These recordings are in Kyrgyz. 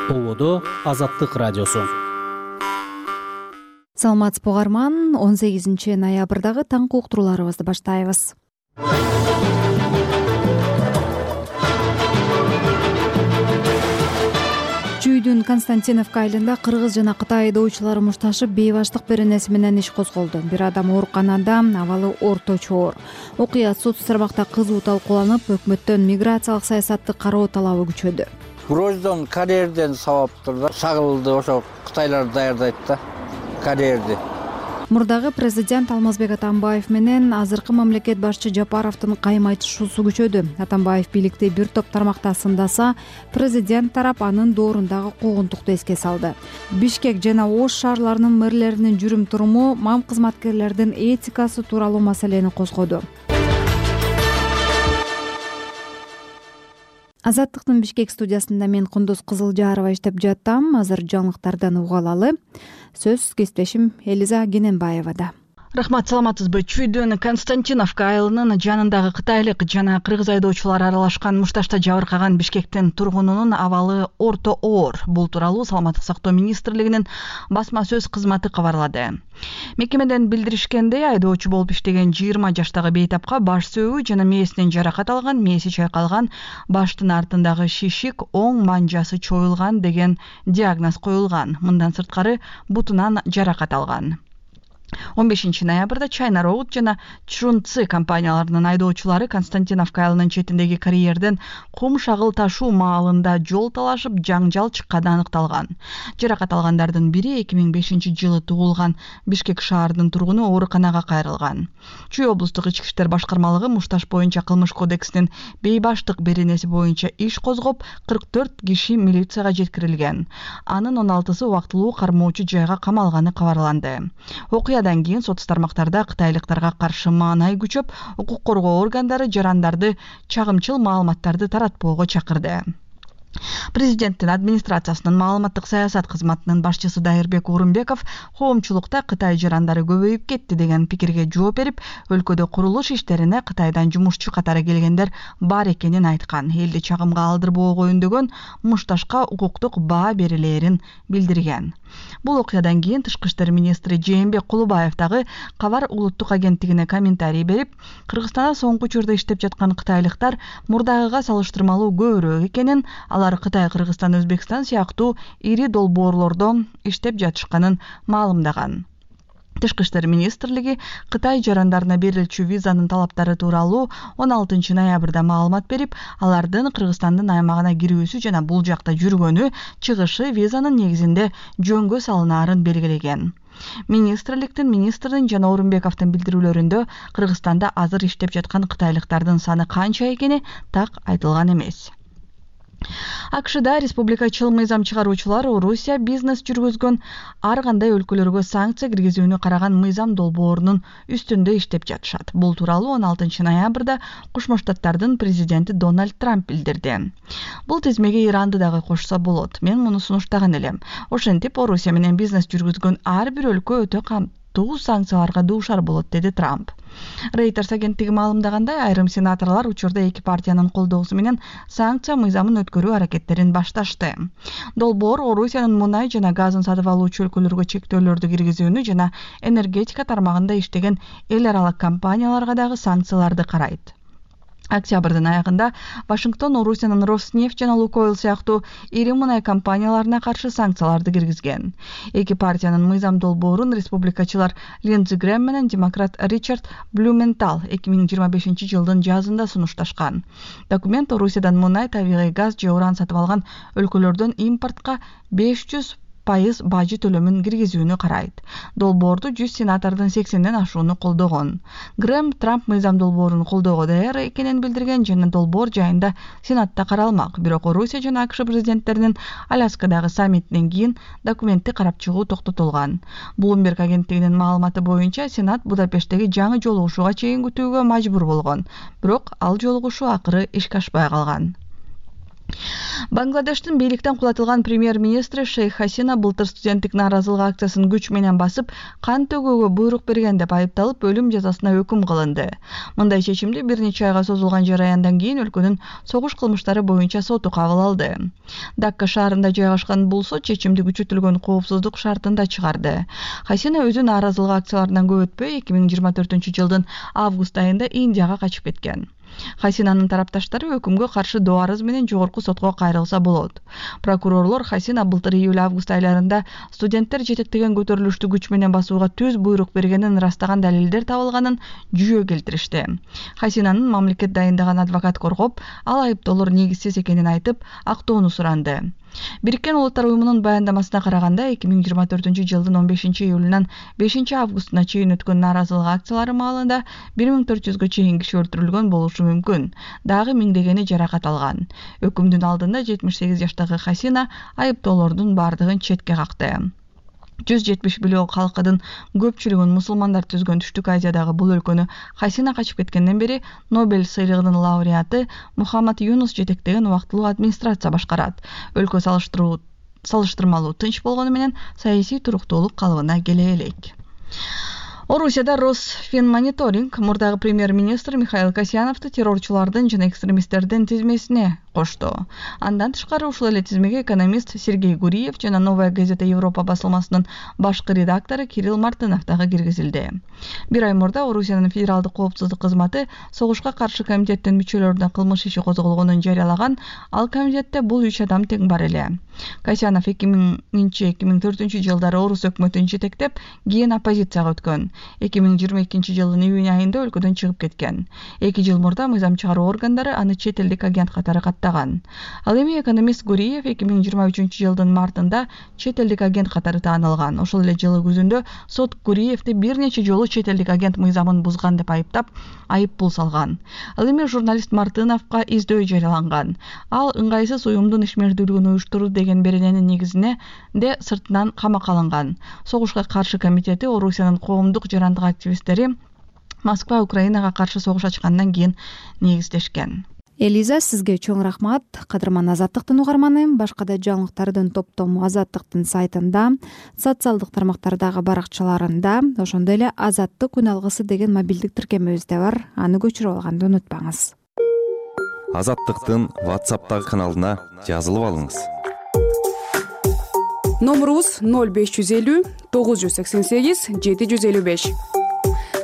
Ободо Азаттык радиосу. Саламатсызбы угарман, 18 ноябрдагы таңкы уктурууларыбызды баштайбыз. Чүйдүн Константиновка айылында кыргыз жана Кытай айдоочулары мушташып бейбаштык беренеси менен иш козголду. Бир адам ооруканада, абалы орточо оор. Окуя соц тармакта кызуу талкууланып, өкмөттөн миграциялык саясатты кароо талабы күчөдү. Гроздон карьерден сабаптыр да, шагылды ошо кытайлар даярдайт да карьерди. Мурдагы президент Алмазбек Атамбаев менен азыркы мамлекет башчы Жапаровдун кайым айтышуусу күчөдү. Атамбаев бийликти бир топ тармакта сындаса, президент тарап анын доорундагы куугунтукту эске салды. Бишкек жана Ош шаарларынын мэрлеринин жүрүм-туруму, мам кызматкерлердин этикасы тууралуу маселени козгоду. Азаттыктын Бишкек студиясында мен Кундуз Кызылжарова иштеп жатам. Азыр жаңылыктардан уга алалы. Сөз кесиптешим Элиза Гененбаевада. Рахмат, саламатсызбы? Чүйдүн Константиновка айылынын жанындагы кытайлык жана кыргыз айдоочулар аралашкан мушташта жабыркаган Бишкектин тургунунун абалы орто оор. Бул тууралуу Саламаттык сактоо министрлигинин басма сөз кызматы кабарлады. Мекемеден билдиришкендей, айдоочу болуп иштеген 20 жаштагы бейтапка баш сөөгү жана мээсинен жаракат алган, мээси чайкалган, баштын артындагы шишик, оң манжасы чоюлган деген диагноз коюлган. Мындан сырткары бутунан жаракат алган. 15 ноябрда Чайна Роуд жана Чрунци компанияларынын айдоочулары Константиновка айылынын четиндеги карьерден кум шагыл ташуу маалында жол талашып, жаңжал чыкканы аныкталган. Жаракат алгандардын бири 2005 жылы туулган Бишкек шаарынын тургуну ооруканага кайрылган. Чүй облустук ички иштер башкармалыгы мушташ боюнча кылмыш кодексинин бейбаштык беренеси боюнча иш козгоп, 44 киши милицияга жеткирилген. Анын 16сы убактылуу кармоочу жайга камалганы кабарланды. Окуядан кийин соц тармактарда кытайлыктарга каршы маанай күчөп, укук коргоо органдары жарандарды чагымчыл маалыматтарды таратпоого чакырды. Президенттин администрациясынын маалыматтык саясат кызматынын башчысы Дайырбек Орунбеков коомчулукта Кытай жарандары көбөйүп кетти деген пикирге жооп берип, өлкөдө курулуш иштерине Кытайдан жумушчу катары келгендер бар экенин айткан. Элди чагымга алдырбоого үндөгөн, мушташка укуктук баа берилээрин билдирген. Бул окуядан кийин Тышкы иштер министри Жээнбек Кулубаев дагы Кабар улуттук агенттигине комментарий берип, Кыргызстанда соңку учурда иштеп жаткан кытайлыктар мурдагыга салыштырмалуу көбүрөөк экенин, алар Кытай, Кыргызстан, Өзбекстан сыяктуу ири долбоорлордо иштеп жатышканын маалымдаган. Тышкы иштер министрлиги Кытай жарандарына берилчү визанын талаптары тууралуу 16 ноябрда маалымат берип, алардын Кыргызстандын аймагына кирүүсү жана бул жакта жүргөнү, чыгышы визанын негизинде жөнгө салынаарын белгилеген. Министрдин жана Орунбековдун билдирүүлөрүндө Кыргызстанда азыр иштеп жаткан кытайлыктардын саны канча экени так айтылган эмес. АКШда республикачыл мыйзам чыгаруучулар Орусия бизнес жүргүзгөн ар кандай өлкөлөргө санкция киргизүүнү караган мыйзам долбоорунун үстүндө иштеп жатышат. Бул тууралуу 16 ноябрда Кошмо Штаттардын президенти Дональд Трамп билдирди. Бул тизмеге Иранды дагы кошсо болот. Мен муну сунуштаган элем. Ошентип Орусия менен бизнес жүргүзгөн ар бир өлкө өтө камтуу санкцияларга дуушар болот, деди Трамп. Reuters агенттиги маалымдагандай, айрым сенаторлор учурда эки партиянын колдоосу менен санкция мыйзамын өткөрүү аракеттерин башташты. Долбоор Орусиянын мунай жана газын сатып алуучу өлкөлөргө чектөөлөрдү киргизүүнү жана энергетика тармагында иштеген эл аралык компанияларга дагы санкцияларды карайт. Октябрдын аягында Вашингтон Орусиянын Роснефть жана Лукойл сыяктуу ири мунай компанияларына каршы санкцияларды киргизген. Эки партиянын мыйзам долбоорун республикачылар Линдзи Грэм менен демократ Ричард Блюментал 2025 жылдын жазында сунушташкан. Документ Орусиядан мунай, табигый газ же уран сатып алган өлкөлөрдөн импортко 500% бажы төлөмүн киргизүүнү карайт. Долбоорду 100 сенатордун 80ден ашууну колдогон. Грэм Трамп мыйзам долбоорун колдоого даяр экенин билдирген жана долбоор жайында Сенатта каралмак. Бирок Орусия жана АКШ президенттеринин Аляскадагы саммитинен кийин документти карап чыгуу токтотулган. Bloomberg агенттигинин маалыматы боюнча Сенат Будапешттеги жаңы жолугушууга чейин күтүүгө мажбур болгон. Бирок ал жолугушуу акыры ишке ашпай калган. Бангладештин бийликтен кулатылган премьер-министри Шейх Хасина былтыр студенттик нааразылык акциясын күч менен басып, кан төгүүгө буйрук берген деп айыпталып, өлүм жазасына өкүм кылынды. Мындай чечимди бир нече айга созулган жараяндан кийин өлкөнүн согуш кылмыштары боюнча соту кабыл алды. Дакка шаарында жайгашкан бул сот чечимди күчөтүлгөн коопсуздук шартында чыгарды. Хасина өзү нааразылык акцияларынан көп өтпөй 2024-жылдын август айында Индияга качып кеткен. Хасинанын тарапташтары өкүмгө каршы доо арыз менен жогорку сотко кайрылса болот. Прокурорлор Хасина былтыр июль-август айларында студенттер жетектеген көтөрүлүштү күч менен басууга түз буйрук бергенин ырастаган далилдер табылганын жүйө келтиришти. Хасинанын мамлекет дайындаган адвокат коргоп, ал айыптоолор негизсиз экенин айтып, актоону суранды. Бириккен Улуттар уюмунун баяндамасына караганда 2024-жылдын 15-июлунан 5-августуна чейин өткөн нааразылык акциялары маалында 1400-гө чейин киши өлтүрүлгөн болушу мүмкүн. Дагы миңдегени жаракат алган. Өкүмдүн алдында 78 жаштагы Хасина айыптоолордун бардыгын четке какты. 170 миллион калкынын көпчүлүгүн мусулмандар түзгөн Түштүк Азиядагы бул өлкөнү Хасина качып кеткенден бери Нобель сыйлыгынын лауреаты Мухаммад Юнус жетектеген убактылуу администрация башкарат. Өлкө салыштырмалуу тынч болгону менен саясий туруктуулук калыбына келе элек. Орусияда Росфинмониторинг мурдагы премьер-министр Михаил Касьяновду террорчулардын жана экстремисттердин тизмесине кошту. Андан тышкары ушул эле тизмеге экономист Сергей Гуриев жана Новая газета Европа басылмасынын башкы редактору Кирилл Мартынов дагы киргизилди. Бир ай мурда Орусиянын федералдык коопсуздук кызматы согушка каршы комитеттин мүчөлөрүнө кылмыш иши козголгонун жарыялаган. Ал комитетте бул 3 адам тең бар эле. Касьянов 2000-2004 жылдары орус өкмөтүн жетектеп, кийин оппозицияга өткөн. 2022 жылдын июнь айында өлкөдөн чыгып кеткен. 2 жыл мурда мыйзам чыгаруу органдары аны чет элдик агент катары каттаган. Ал эми экономист Гуриев 2023 жылдын мартында чет элдик агент катары таанылган. Ошол эле жылы күзүндө сот Гуриевди бир нече жолу чет элдик агент мыйзамын бузган деп айыптап, айып пул салган. Ал эми журналист Мартыновго издөө жарыяланган. Ал ыңгайсыз уюмдун ишмердүүлүгүн уюштуруу деген берененин негизинде сыртынан камакка алынган. Согушка каршы комитети Орусиянын коомдук жарандык активисттери Москва Украинага каршы согуш ачкандан кийин негиздешкен. Элиза, сизге чоң рахмат. Кадырман Азаттыктын угарманы. Башка да жаңылыктардын топтому Азаттыктын сайтында, социалдык тармактардагы баракчаларында, ошондой эле Азаттык күн алгысы деген мобилдик тиркемебизде бар. Аны көчүрүп алганды унутпаңыз. Азаттыктын WhatsApp'тагы каналына жазылып алыңыз. Номерубуз 0550 988 755.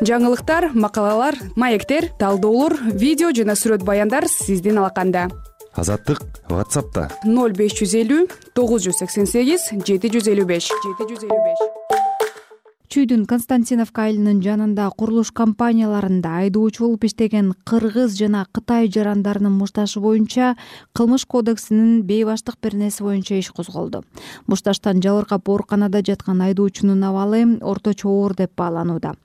Жаңылыктар, макалалар, маектер, талдоолор, видео жана сүрөт баяндар сиздин алаканда. Азаттык WhatsApp'та 0550 988 755. Чүйдүн Константиновка айылынын жанында курулуш компанияларында айдоочу болуп иштеген кыргыз жана Кытай жарандарынын мушташы боюнча Кылмыш кодексинин бейбаштык беренеси боюнча иш козголду. Мушташтан жабыркап ооруканада жаткан айдоочунун абалы орточо оор деп бааланууда.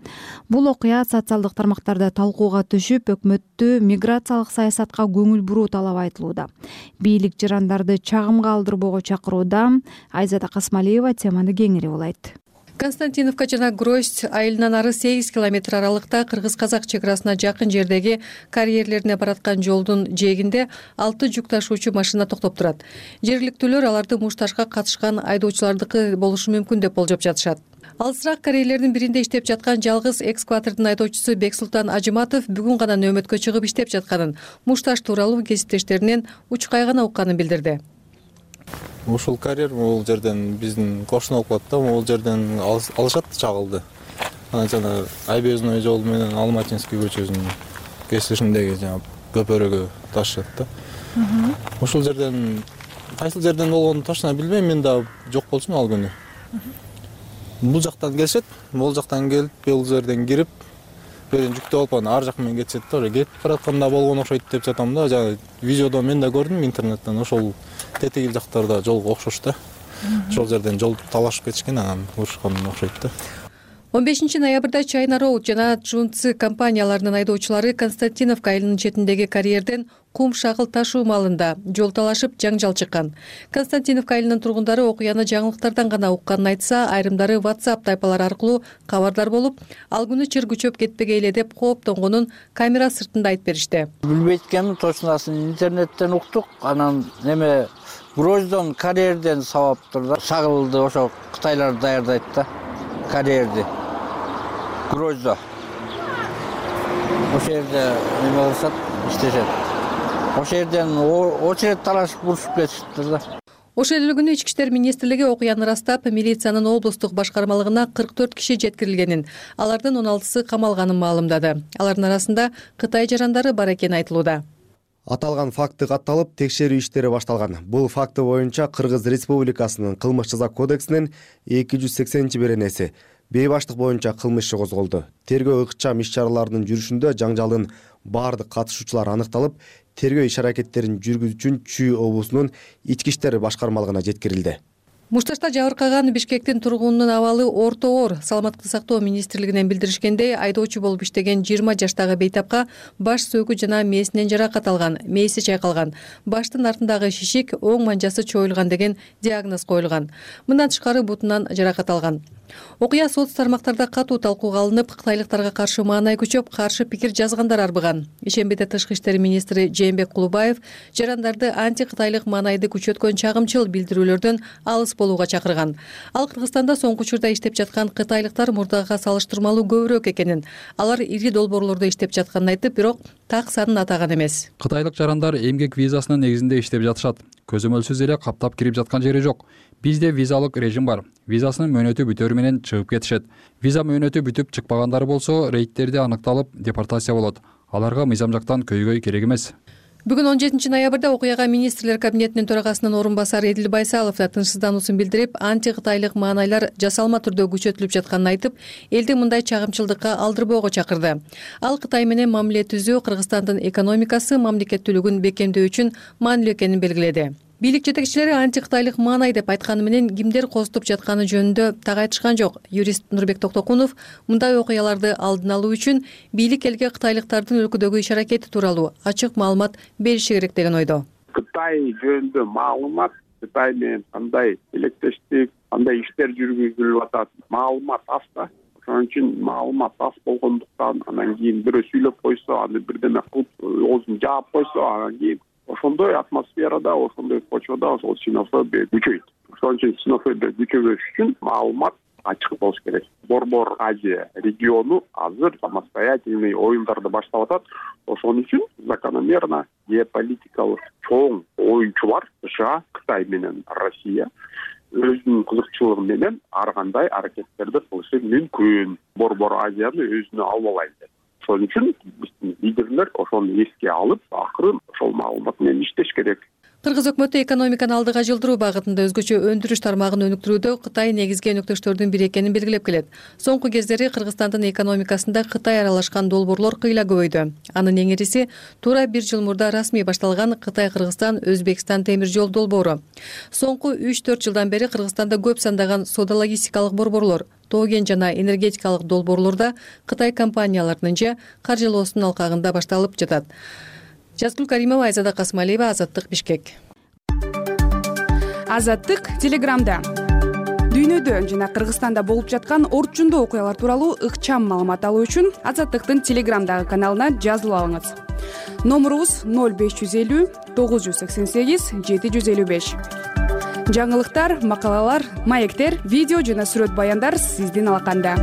Бул окуя социалдык тармактарда талкууга түшүп, өкмөттү миграциялык саясатка көңүл буруу талап айтылууда. Бийлик жарандарды чагымга алдырбоого чакырууда. Айзада Касмалиева теманы кеңири улайт. Константиновка жана Гроздь айылынан ары 8 километр аралыкта кыргыз-казак чек арасына жакын жердеги карьерлерине бараткан жолдун жээгинде 6 жүк ташуучу машина токтоп турат. Жергиликтүүлөр аларды мушташка катышкан айдоочулардыкы болушу мүмкүн деп болжоп жатышат. Алысыраак карьерлердин биринде иштеп жаткан жалгыз экскаватордун айдоочусу Бексултан Ажыматов бүгүн гана нөөмөткө чыгып иштеп жатканын, мушташ тууралуу кесиптештеринен учкай гана укканын билдирди. Ушул карьер бул жерден биздин кошуна болуп калат да, бул жерден алышат чагылды. Анан жана Айбезной жол менен Алматинский көчөсүнүн кесишиндеги жана көпөрөгө ташышат да. Ушул жерден кайсыл жерден болгонун точно билбейм, мен да жок болчумун ал күнү. Бул жактан келишет, бул жактан келип, бул жерден кирип, берен жүктөп алып анан ар жак менен кетишет да. Кетип баратканда болгон окшойт деп жатам да. Жана видеодо мен да көрдүм интернеттен. Ошол тетиги жактарда жолго окшош да. Ошол жерден жол талашып кетишкен, анан урушкан окшойт да. 15 ноябрда China Road жана Junzi компанияларынын айдоочулары Константиновка айылынын четиндеги карьерден кум шагыл ташуу маалында жол талашып жаңжал чыккан. Константиновка айылынын тургундары окуяны жаңылыктардан гана укканын айтса, айрымдары WhatsApp тайпалары аркылуу кабардар болуп, ал күнү чыр күчөп кетпегей эле деп кооптонгонун камера сыртында айтып беришти. Билбейт экенмин, точносын интернеттен уктук. Анан Гроздон карьерден сабаптыр да. Шагылды ошо кытайлар даярдайт да. Карьерди. Гроздо. Ошол жерде неме кылышат, иштешет. Ошол жерден очередь талашып урушуп кетишиптир да. Ошол эле күнү Ички иштер министрлиги окуяны ырастап, милициянын облустук башкармалыгына 44 киши жеткирилгенин, алардын 16сы камалганын маалымдады. Алардын арасында Кытай жарандары бар экени айтылууда. Аталган факты катталып, текшерүү иштери башталган. Бул факты боюнча Кыргыз Республикасынын кылмыш жаза кодексинин 280-беренеси бейбаштык боюнча кылмыш иши козголду. Тергөө ыкчам иш-чараларынын жүрүшүндө жаңжалдын баардык катышуучулары аныкталып, тергөө иш-аракеттерин жүргүзүү үчүн Чүй облусунун ички иштер башкармалыгына жеткирилди. Мушташта жабыркаган Бишкектин тургунунун абалы орто оор. Саламаттыкты сактоо министрлигинен билдиришкендей, айдоочу болуп иштеген 20 жаштагы бейтапка баш сөөгү жана мээсинен жаракат алган, мээси чайкалган, баштын артындагы шишик, оң манжасы чоюлган деген диагноз коюлган. Мындан тышкары бутунан жаракат алган. Окуя соц тармактарда катуу талкууга алынып, кытайлыктарга каршы маанай күчөп, каршы пикир жазгандар арбыган. Ишембиде Тышкы иштер министри Жээнбек Кулубаев жарандарды анти-кытайлык маанайды күчөткөн чагымчыл билдирүүлөрдөн алыс болууга чакырган. Ал Кыргызстанда соңку учурда иштеп жаткан кытайлыктар мурдагыга салыштырмалуу көбүрөөк экенин, алар ири долбоорлордо иштеп жатканын айтып, бирок так санын атаган эмес. Кытайлык жарандар эмгек визасынын негизинде иштеп жатышат. Көзөмөлсүз эле каптап кирип жаткан жери жок. Бизде визалык режим бар. Визасынын мөөнөтү бүтөрү менен чыгып кетишет. Виза мөөнөтү бүтүп чыкпагандары болсо, рейдтерде аныкталып, депортация болот. Аларга мыйзам жактан көйгөй керек эмес. Бүгүн 17 ноябрда окуяга министрлер кабинетинин төрагасынын орун басары Эдил Байсалов да тынчсыздануусун билдирип, анти-кытайлык маанайлар жасалма түрдө күчөтүлүп жатканын айтып, элди мындай чагымчылдыкка алдырбоого чакырды. Ал Кытай менен мамиле түзүү Кыргызстандын экономикасы, мамлекеттүүлүгүн бекемдөө үчүн маанилүү экенин белгиледи. Бийлик жетекчилери анти-кытайлык маанай деп айтканы менен кимдер козутуп жатканы жөнүндө так айтышкан жок. Юрист Нурбек Токтокунов мындай окуяларды алдын алуу үчүн бийлик элге кытайлыктардын өлкөдөгү иш-аракети тууралуу ачык маалымат бериши керек деген ойдо. Кытай жөнүндө маалымат, Кытай менен кандай илектештик, кандай иштер жүргүзүлүп атат, маалымат аз да. Ошон үчүн маалымат аз болгондуктан анан кийин бирөө сүйлөп койсо, аны бирдеме кылып, оозун жаап койсо, анан кийин ошондой атмосферада, ошондой почвада ошол ксенофобия күчөйт. Ошон үчүн ксенофобия күчөбөш үчүн маалымат ачык болуш керек. Борбор Азия региону азыр самостоятельный оюндарды баштап атат. Ошон үчүн закономерно геополитикалык чоң оюнчулар США, Кытай менен Россия өзүнүн кызыкчылыгы менен ар кандай аракеттерди кылышы мүмкүн. Борбор Азияны өзүнө алып алайын деп. Ошон үчүн биздин лидерлер ошону эске алып, акырын ошол маалымат менен иштеш керек. Кыргыз өкмөтү экономиканы алдыга жылдыруу багытында өзгөчө өндүрүш тармагын өнүктүрүүдө Кытай негизги өнөктөштөрдүн бири экенин белгилеп келет. Соңку кездери Кыргызстандын экономикасында Кытай аралашкан долбоорлор кыйла көбөйдү. Анын эң ириси туура 1 жыл мурда расмий башталган Кытай-Кыргызстан-Өзбекстан темир жол долбоору. Соңку 3-4 жылдан бери Кыргызстанда көп сандаган соода-логистикалык борборлор, тоо-кен жана энергетикалык долбоорлорда Кытай компанияларынын же каржылоосунун алкагында башталып жатат. Жазгүл Каримова, Айзада Касмалиева, Азаттык, Бишкек. Азаттык Телеграмда. Дүйнөдө жана Кыргызстанда болуп жаткан орчундуу окуялар тууралуу ыкчам маалымат алуу үчүн Азаттыктын Телеграмдагы каналына жазылып алыңыз. Номурубуз 0550 988 755. Жаңылыктар, макалалар, маектер, видео жана сүрөт баяндар сиздин алаканда.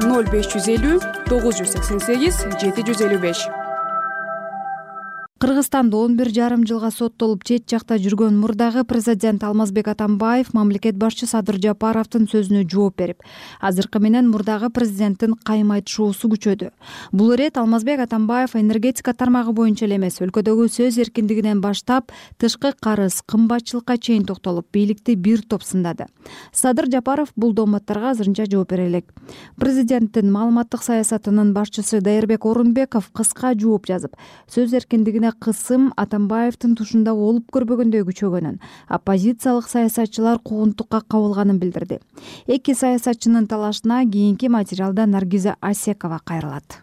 0550 988 755. Кыргызстанда 11,5 жылга соттолуп чет жакта жүргөн мурдагы президент Алмазбек Атамбаев мамлекет башчы Садыр Жапаровдун сөзүнө жооп берип, азыркы менен мурдагы президенттин кайым айтышуусу күчөдү. Бул ирет Алмазбек Атамбаев энергетика тармагы боюнча эле эмес, өлкөдөгү сөз эркиндигинен баштап тышкы карыз, кымбатчылыкка чейин токтолуп, бийликти бир топ сындады. Садыр Жапаров бул доматтарга азырынча жооп бере элек. Президенттин маалыматтык саясатынын башчысы Дайырбек Орунбеков кыска жооп жазып, сөз эркиндигине эле кысым Атамбаевдин тушунда болуп көрбөгөндөй күчөгөнүн, оппозициялык саясатчылар куугунтукка кабылганын билдирди. Эки саясатчынын талашына кийинки материалда Наргиза Асекова кайрылат.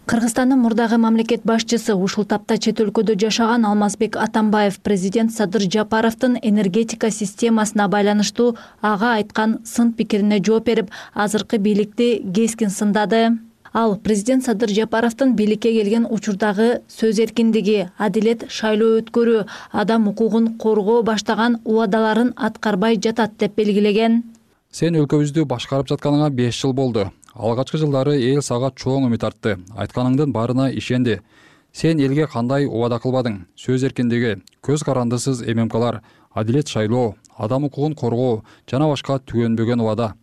Кыргызстандын мурдагы мамлекет башчысы ушул тапта чет өлкөдө жашаган Алмазбек Атамбаев президент Садыр Жапаровдун энергетика системасына байланыштуу ага айткан сын пикирине жооп берип, азыркы бийликти кескин сындады. Ал президент Садыр Жапаровдун бийликке келген учурдагы сөз эркиндиги, адилет шайлоо өткөрүү, адам укугун коргоо баштаган убадаларын аткарбай жатат деп белгилеген. Сен өлкөбүздү башкарып жатканыңа 5 жыл болду. Алгачкы жылдары эл сага чоң үмүт артты. Айтканыңдын баарына ишенди. Сен элге кандай убада кылбадың? Сөз эркиндиги, көз карандысыз ММКлар, адилет шайлоо, адам укугун коргоо жана башка түгөнбөгөн убада.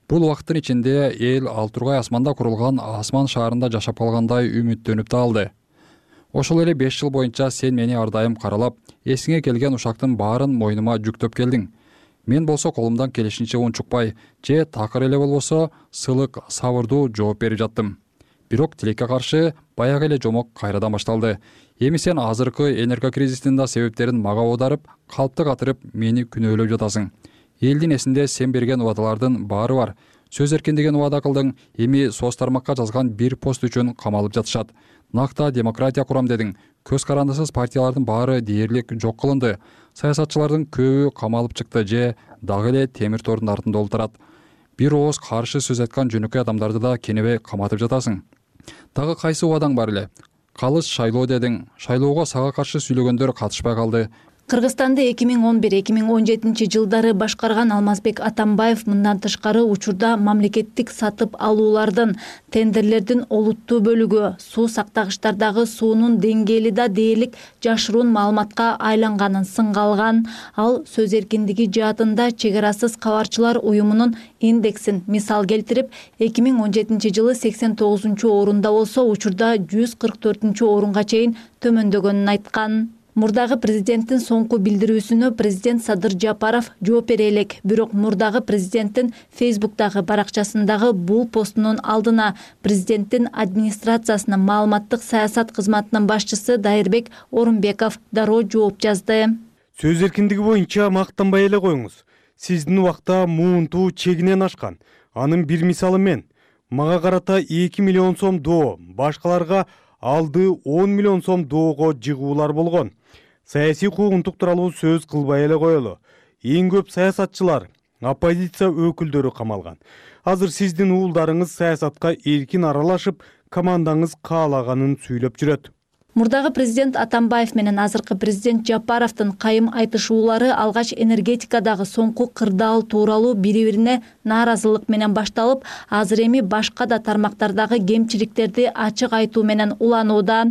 Бул убакыттын ичинде эл ал тургай асманда курулган асман шаарында жашап калгандай үмүттөнүп да алды. Ошол эле 5 жыл боюнча сен мени ар дайым каралап, эсиңе келген ушактын баарын мойнума жүктөп келдиң. Мен болсо колумдан келишинче унчукпай, же такыр эле болбосо сылык, сабырдуу жооп берип жаттым. Бирок тилекке каршы баягы эле жомок кайрадан башталды. Эми сен азыркы энергокризистин да себептерин мага оодарып, калпты катырып, мени күнөөлөп жатасың. Элдин эсинде сен берген убадалардын баары бар. Сөз эркиндигин убада кылдың, эми соц тармакка жазган бир пост үчүн камалып жатышат. Накта демократия курам дедиң. Көз карандысыз партиялардын баары дээрлик жок кылынды. Саясатчылардын көбү камалып чыкты же дагы эле темир тордун артында олтурат. Бир ооз каршы сөз айткан жөнөкөй адамдарды да кенебей каматып жатасың. Дагы кайсы убадаң бар эле? Калыс шайлоо дедиң. Шайлоого сага каршы сүйлөгөндөр катышпай калды. Кыргызстанды 2011-2017 жылдары башкарган Алмазбек Атамбаев мындан тышкары учурда мамлекеттик сатып алуулардын, тендерлердин олуттуу бөлүгү, суу сактагычтардагы суунун деңгээли да дээрлик жашыруун маалыматка айланганын сынга алган. Ал сөз эркиндиги жаатында чек арасыз кабарчылар уюмунун индексин мисал келтирип, 2017 жылы 89-орунда болсо, учурда 144-орунга чейин төмөндөгөнүн айткан. Мурдагы президенттин соңку билдирүүсүнө президент Садыр Жапаров жооп бере элек, бирок мурдагы президенттин Фейсбуктагы баракчасындагы бул постунун алдына президенттин администрациясынын маалыматтык саясат кызматынын башчысы Дайырбек Орунбеков дароо жооп жазды. Сөз эркиндиги боюнча мактанбай эле коюңуз. Сиздин убакта муунтуу чегинен ашкан. Анын бир мисалы мен. Мага карата 2 миллион сом доо, башкаларга алды 10 миллион сом доого жыгуулар болгон. Саясий куугунтук тууралуу сөз кылбай эле коелу. Эң көп саясатчылар, оппозиция өкүлдөрү камалган. Азыр сиздин уулдарыңыз саясатка эркин аралашып, командаңыз каалаганын сүйлөп жүрөт. Мурдагы президент Атамбаев менен азыркы президент Жапаровдун кайым айтышуулары алгач энергетикадагы соңку кырдаал тууралуу бири-бирине нааразылык менен башталып, азыр эми башка да тармактардагы кемчиликтерди ачык айтуу менен уланууда.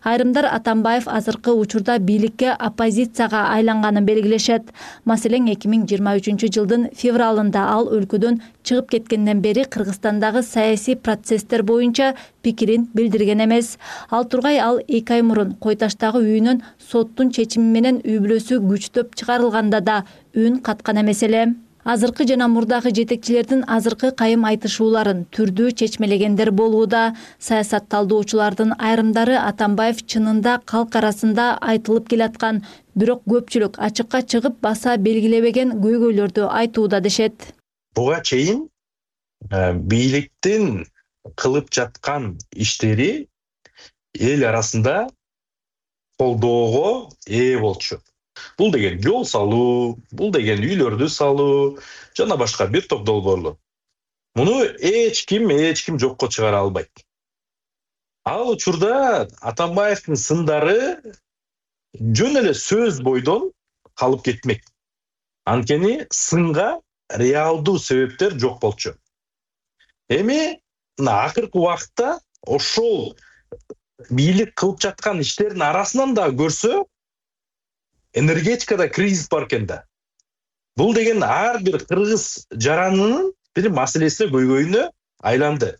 Айрымдар Атамбаев азыркы учурда бийликке оппозицияга айланганын белгилешет. Маселен, 2023 жылдын февралында ал өлкөдөн чыгып кеткенден бери Кыргызстандагы саясий процесстер боюнча пикирин билдирген эмес. Ал тургай ал 2 ай мурун Кой Таштагы үйүнөн соттун чечими менен үй бүлөсү күчтөп чыгарылганда да үн каткан эмес эле. Азыркы жана мурдагы жетекчилердин азыркы кайым айтышууларын түрдүү чечмелегендер болууда. Саясат талдоочулардын айрымдары Атамбаев чынында калк арасында айтылып келаткан, бирок көпчүлүк ачыкка чыгып баса белгилебеген көйгөйлөрдү айтууда дешет. Буга чейин бийликтин кылып жаткан иштери эл арасында колдоого ээ болчу. Бул деген жол салуу, бул деген үйлөрдү салуу, жана башка бир топ долбоорлор. Муну эч ким жокко чыгара албайт. Ал учурда Атамбаевдин сындары жөн эле сөз бойдон калып кетмек. Анткени сынга реалдуу себептер жок болчу. Эми акыркы убакытта ошол бийлик кылып жаткан иштердин арасынан да көрсө, энергетикада кризис бар экен да. Бул деген ар бир кыргыз жаранынын бир маселесине көйгөйүнө айланды.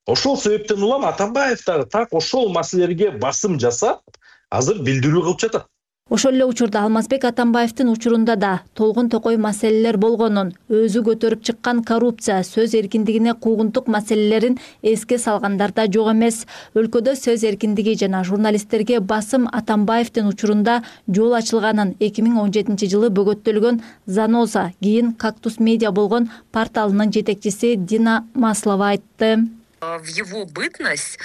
Ошол себептен улам Атамбаев дагы так ошол маселелерге басым жасап, азыр билдирүү кылып жатат. Ошол эле учурда Алмазбек Атамбаевдин учурунда да толгун токой маселелер болгонун, өзү көтөрүп чыккан коррупция, сөз эркиндигине куугунтук маселелерин эске салгандар да жок эмес. Өлкөдө сөз эркиндиги жана журналисттерге басым Атамбаевдин учурунда жол ачылганын 2017-жылы бөгөттөлгөн Заноза, кийин Кактус медиа болгон порталынын жетекчиси Дина Маслова айтты. В его бытность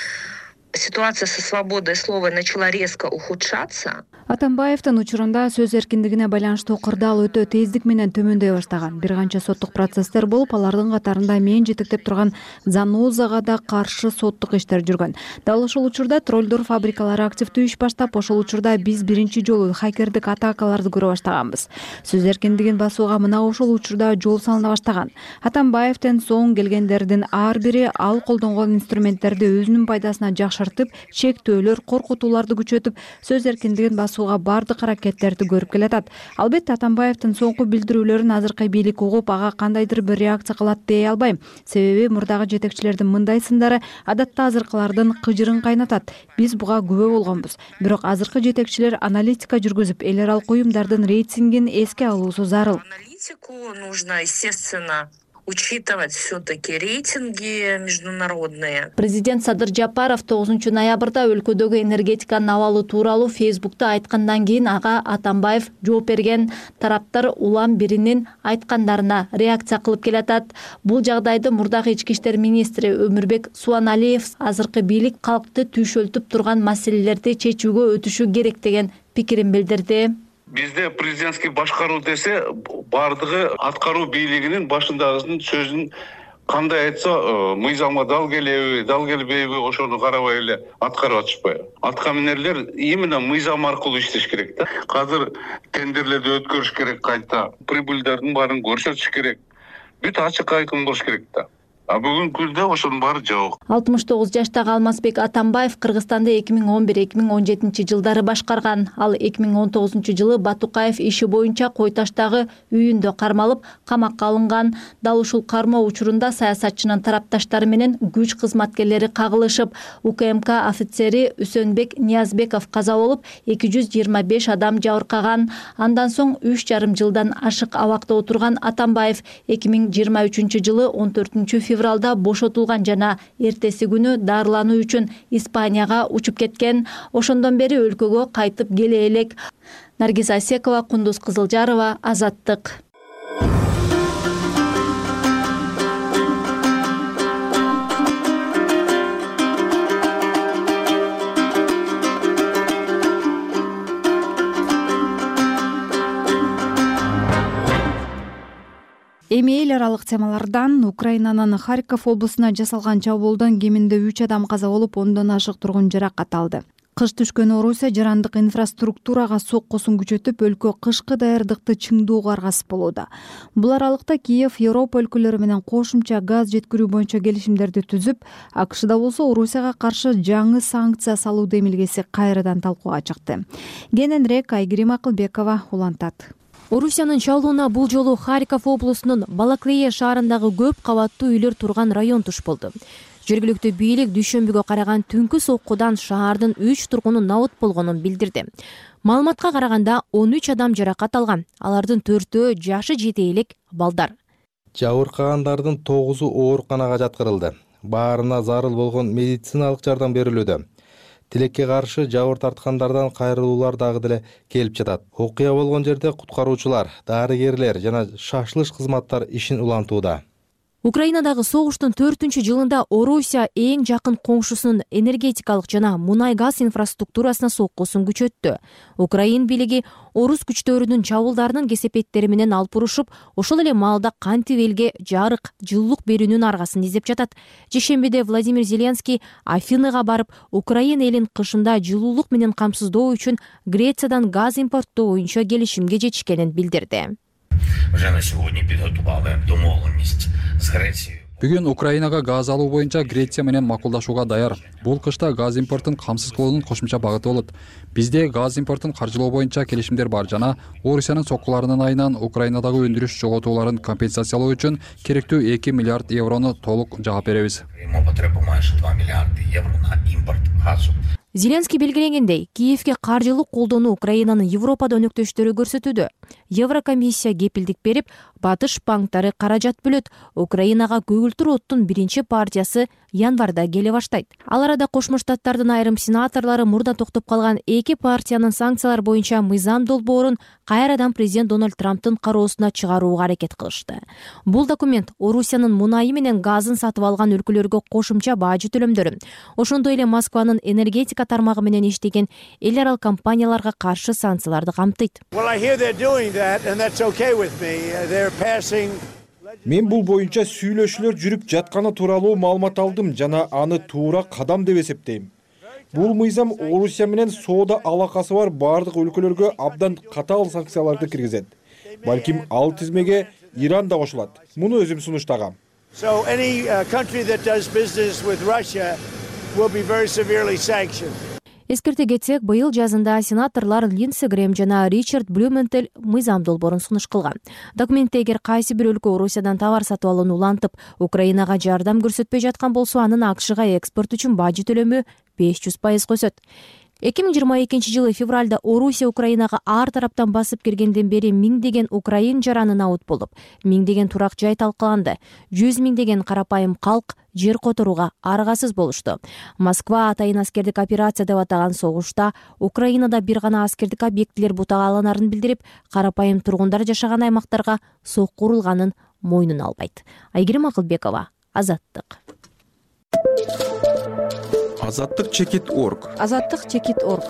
ситуация со свободой слова начала резко ухудшаться. Атамбаевдин учурунда сөз эркиндигине байланыштуу кырдаал өтө тездик менен төмөндөй баштаган. Бир канча соттук процесстер болуп, алардын катарында мен жетектеп турган Занозага да каршы соттук иштер жүргөн. Дал ошол учурда троллдор фабрикалары активдүү иш баштап, ошол учурда биз биринчи жолу хакердик атакаларды көрө баштаганбыз. Сөз эркиндигин басууга мына ошол учурда жол салына баштаган. Атамбаевден соң келгендердин ар бири ал колдонгон инструменттерди өзүнүн пайдасына жакшыртып, чектөөлөр, коркутууларды күчөтүп, сөз эркиндигин басууга бардык аракеттерди көрүп келатат. Албетте Атамбаевдин соңку билдирүүлөрүн азыркы бийлик угуп, ага кандайдыр бир реакция кылат дей албайм. Себеби мурдагы жетекчилердин мындай сындары адатта азыркылардын кыжырын кайнатат. Биз буга күбө болгонбуз. Бирок азыркы жетекчилер аналитика жүргүзүп, эл аралык уюмдардын рейтингин эске алуусу зарыл. Аналитику нужно, естественно, учитывать все-таки рейтинги международные. Президент Садыр Жапаров 9 ноябрда өлкөдөгү энергетиканын абалы тууралуу Фейсбукта айткандан кийин ага Атамбаев жооп берген. Тараптар улам биринин айткандарына реакция кылып келатат. Бул жагдайды мурдагы ички иштер министри Өмүрбек Суаналиев азыркы бийлик калкты түйшөлтүп турган маселелерди чечүүгө өтүшү керек деген пикирин билдирди. Бизде президентский башкаруу десе, бардыгы аткаруу бийлигинин башындагысынын сөзүн кандай айтса, мыйзамга дал келеби, дал келбейби, ошону карабай эле аткарып атышпайбы. Аткаминерлер именно мыйзам аркылуу иштеш керек да. Азыр тендерлерди өткөрүш керек кайта, прибыльдердин баарын көрсөтүш керек. Бүт ачык айкын болуш керек да. А бүгүнкү күндө ошонун баары жок. 69 жаштагы Алмазбек Атамбаев Кыргызстанды 2011-2017 жылдары башкарган. Ал 2019 жылы Батукаев иши боюнча Кой Таштагы үйүндө кармалып, камакка алынган. Дал ушул кармоо учурунда саясатчынын тарапташтары менен күч кызматкерлери кагылышып, УКМК офицери Үсөнбек Ниязбеков каза болуп, 225 адам жабыркаган. Андан соң 3,5 жылдан ашык абакта отурган Атамбаев 2023 жылы 14 февралда бошотулган жана эртеси күнү дарылануу үчүн Испанияга учуп кеткен. Ошондон бери өлкөгө кайтып келе элек. Наргиз Асекова, Кундуз Кызылжарова, Азаттык. Эми эл аралык темалардан Украинанын Харьков облусуна жасалган чабуулдан кеминде 3 адам каза болуп, 10дон ашык тургун жаракат алды. Кыш түшкөн Орусия жарандык инфраструктурага соккусун күчөтүп, өлкө кышкы даярдыкты чыңдоого аргасыз болууда. Бул аралыкта Киев Европа өлкөлөрү менен кошумча газ жеткирүү боюнча келишимдерди түзүп, АКШда болсо Орусияга каршы жаңы санкция салуу демилгеси кайрадан талкууга чыкты. Кененирээк Айгерим Акылбекова улантат. Орусиянын чалууна бул жолу Харьков облусунун Балаклея шаарындагы көп кабаттуу үйлөр турган район туш болду. Жергиликтүү бийлик дүйшөмбүгө караган түнкү соккудан шаардын 3 тургуну набыт болгонун билдирди. Маалыматка караганда 13 адам жаракат алган. Алардын 4-өө жашы жете элек балдар. Жабыркагандардын 9-у ооруканага жаткырылды. Баарына зарыл болгон медициналык жардам берилүүдө. Тилекке каршы жабыр тарткандардан кайрылуулар дагы деле келип жатат. Окуя болгон жерде куткаруучулар, дарыгерлер жана шашылыш кызматтар ишин улантууда. Украинадагы согуштун 4-жылында Орусия эң жакын коңшусунун энергетикалык жана мунай-газ инфраструктурасына соккусун күчөттү. Украин бийлиги орус күчтөрүнүн чабуулдарынын кесепеттери менен алып урушуп, ошол эле маалда кантип элге жарык, жылуулук берүүнүн аргасын издеп жатат. Жешембиде Владимир Зеленский Афинага барып, Украин элин кышында жылуулук менен камсыздоо үчүн Грециядан газ импорттоо боюнча келишимге жетишкенин билдирди. Бүгүн Украинага газ алуу боюнча Греция менен макулдашууга даяр. Бул кышта газ импортун камсыз кылуунун кошумча багыты болот. Бизде газ импортун каржылоо боюнча келишимдер бар жана Орусиянын соккуларынын айынан Украинадагы өндүрүш жоготууларын компенсациялоо үчүн керектүү 2 миллиард еврону толук жаап беребиз. Зеленский белгилегендей, Киевге каржылык колдоону Украинанын Европада өнөктөштөрү көрсөтүүдө. Еврокомиссия кепилдик берип, батыш банктары каражат бөлөт. Украинага көгүлтүр оттун биринчи партиясы январда келе баштайт. Ал арада Кошмо Штаттардын айрым сенаторлору мурда токтоп калган эки партиянын санкциялар боюнча мыйзам долбоорун кайрадан президент Дональд Трамптын кароосуна чыгарууга аракет кылышты. Бул документ Орусиянын мунайы менен газын сатып алган өлкөлөргө кошумча бажы төлөмдөрүн, ошондой эле Москванын энергетика тармагы менен иштеген эл аралык компанияларга каршы санкцияларды камтыйт. Мен бул боюнча сүйлөшүүлөр жүрүп жатканы тууралуу маалымат алдым жана аны туура кадам деп эсептейм. Бул мыйзам Орусия менен соода алакасы бар бардык өлкөлөргө абдан катаал санкцияларды киргизет. Балким ал тизмеге Иран да кошулат. Муну өзүм сунуштагам. Эскерте кетсек, быйыл жазында сенаторлор Линдси Грэм жана Ричард Блюменталь мыйзам долбоорун сунуш кылган. Документте эгер кайсы бир өлкө Орусиядан товар сатып алууну улантып, Украинага жардам көрсөтпөй жаткан болсо, анын АКШга экспорт үчүн бажы төлөмү 500% өсөт. 2022 февралда Орусия Украинага ар тараптан басып киргенден бери миңдеген украин жаранын абут болуп, миңдеген турак жай талкаланды, 100 миңдеген карапайым калк жер которууга аргасыз болушту. Москва атайын аскердик операция деп атаган согушта Украинада бир гана аскердик объектилер бутагаланарын билдирип, карапайым тургундар жашаган аймактарга сокку урулганын мойнуна албайт. Айгерим Акылбекова, Азаттык. Азаттык-чекит.org. Азаттык-чекит.org.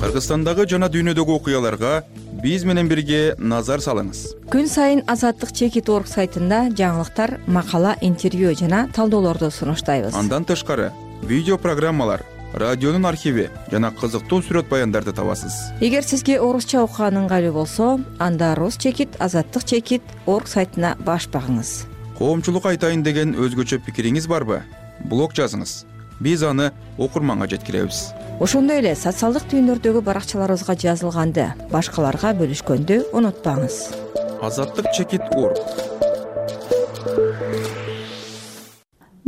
Кыргызстандагы жана дүйнөдөгү окуяларга биз менен бирге назар салыңыз. Күн сайын Азаттык-чекит.org сайтында жаңылыктар, макала, интервью жана талдоолорду сунуштайбыз. Андан тышкары видео программалар, радионун архиви жана кызыктуу сүрөт баяндарды табасыз. Эгер сизге орусча окуган ыңгайлуу болсо, анда Рус-чекит, Азаттык-чекит.org сайтына баш багыңыз. Коомчулук айтайын деген өзгөчө пикириңиз барбы? Блог жазыңыз. Биз аны окурманга жеткиребиз. Ошондой эле социалдык түйүндөрдөгү баракчаларыбызга жазылганды башкаларга бөлүшкөндү унутпаңыз. Азаттык-чекит.org.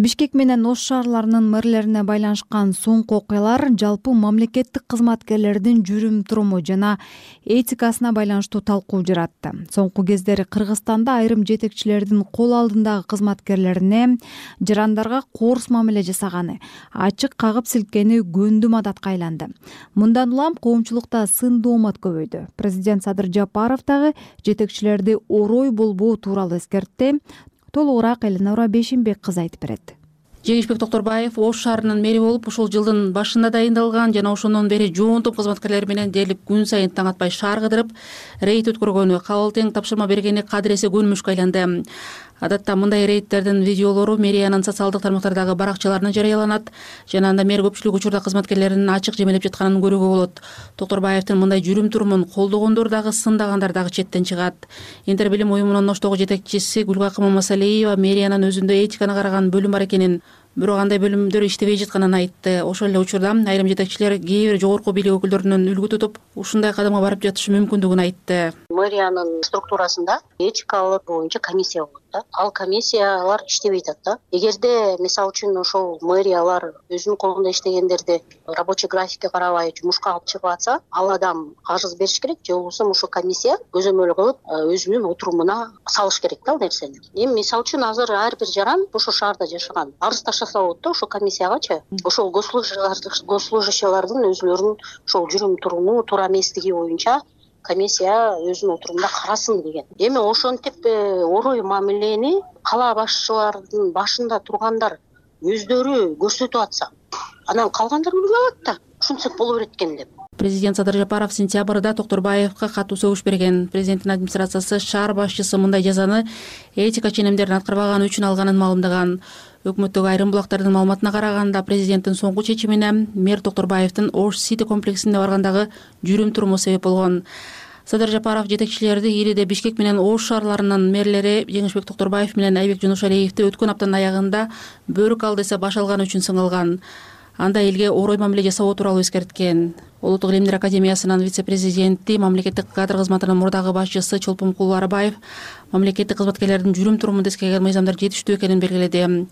Бишкек менен Ош шаарларынын мэрлерине байланышкан соңку окуялар жалпы мамлекеттик кызматкерлердин жүрүм-туруму жана этикасына байланыштуу талкуу жаратты. Соңку кездери Кыргызстанда айрым жетекчилердин кол алдындагы кызматкерлерине жарандарга коорс мамиле жасаганы, ачык кагып силкени көндүм адатка айланды. Мындан улам коомчулукта сын-доомат көбөйдү. Президент Садыр Жапаров дагы жетекчилерди орой болбоо тууралуу эскертти. Толугураак Эленора Бешимбек кызы айтып берет. Жеңишбек Токторбаев Ош шаарынын мэри болуп, ушул жылдын башында дайындалган жана ошондон бери жоон топ кызматкерлер менен дээрлик күн сайын таң атпай шаар кыдырып, рейд өткөргөнү, кабыл тең тапшырма бергени кадыресе көнмүшкө айланды. Адатта мындай рейдтердин видеолору мэриянын социалдык тармактардагы баракчаларына жарыяланат жана анда мэр көпчүлүк учурда кызматкерлеринин ачык жемелеп жатканын көрүүгө болот. Токторбаевдин мындай жүрүм-турумун колдогондор дагы, сындагандар дагы четтен чыгат. Интер билим уюмунун Оштогу жетекчиси Гүлгакы Мамасалиева мэриянын өзүндө этиканы караган бөлүм бар экенин, бирок андай бөлүмдөр иштебей жатканын айтты. Ошол эле учурда айрым жетекчилер кээ бир жогорку бийлик өкүлдөрүнөн үлгү тутуп, ушундай кадамга барып жатышы мүмкүндүгүн айтты. Мэриянын структурасында этикалык боюнча комиссия болот да. Ал комиссиялар иштебей атат да. Эгерде мисалы үчүн ошол мэриялар өзүнүн колунда иштегендерди рабочий графикке карабай жумушка алып чыгып атса, ал адам карыз бериш керек, же болбосо ошол комиссия көзөмөл кылып өзүнүн отурумуна салыш керек да ал нерсени. Эми мисалы үчүн азыр ар бир жаран ошол шаарда жашаган арыз таштаса болот да ошол комиссиягачы. Ошол госслужащиялардын өзүлөрүнүн ошол жүрүм-туруму, туура эместиги боюнча комиссия өзүнүн отурумда карасын деген. Эми ошентип орой мамилени кала башчыларынын башында тургандар өздөрү көрсөтүп атса, анан калгандар билип алат да, ушинтсек боло берет экен деп. Президент Садыр Жапаров сентябрда Токторбаевга катуу сөгүш берген. Президенттин администрациясы шаар башчысы мындай жазаны этика ченемдерин аткарбаганы үчүн алганын маалымдаган. Өкмөттөгү айрым булактардын маалыматына караганда, президенттин соңку чечимине мэр Токторбаевдин Ош Сити комплексине баргандагы жүрүм-туруму себеп болгон. Садыр Жапаров жетекчилерди Ириде, Бишкек менен Ош шаарларынын мэрлери Жеңишбек Токторбаев менен Айбек Жунушалиевди өткөн аптанын аягында бөрүк ал десе баш алганы үчүн сыңалган. Анда элге орой мамиле жасоо тууралуу эскерткен. Улуттук илимдер академиясынын вице-президенти, мамлекеттик кадр кызматынын мурдагы башчысы Чолпонкул Арбаев мамлекеттик кызматкерлердин жүрүм турумун эскерген мыйзамдар жетиштүү экенин белгиледи.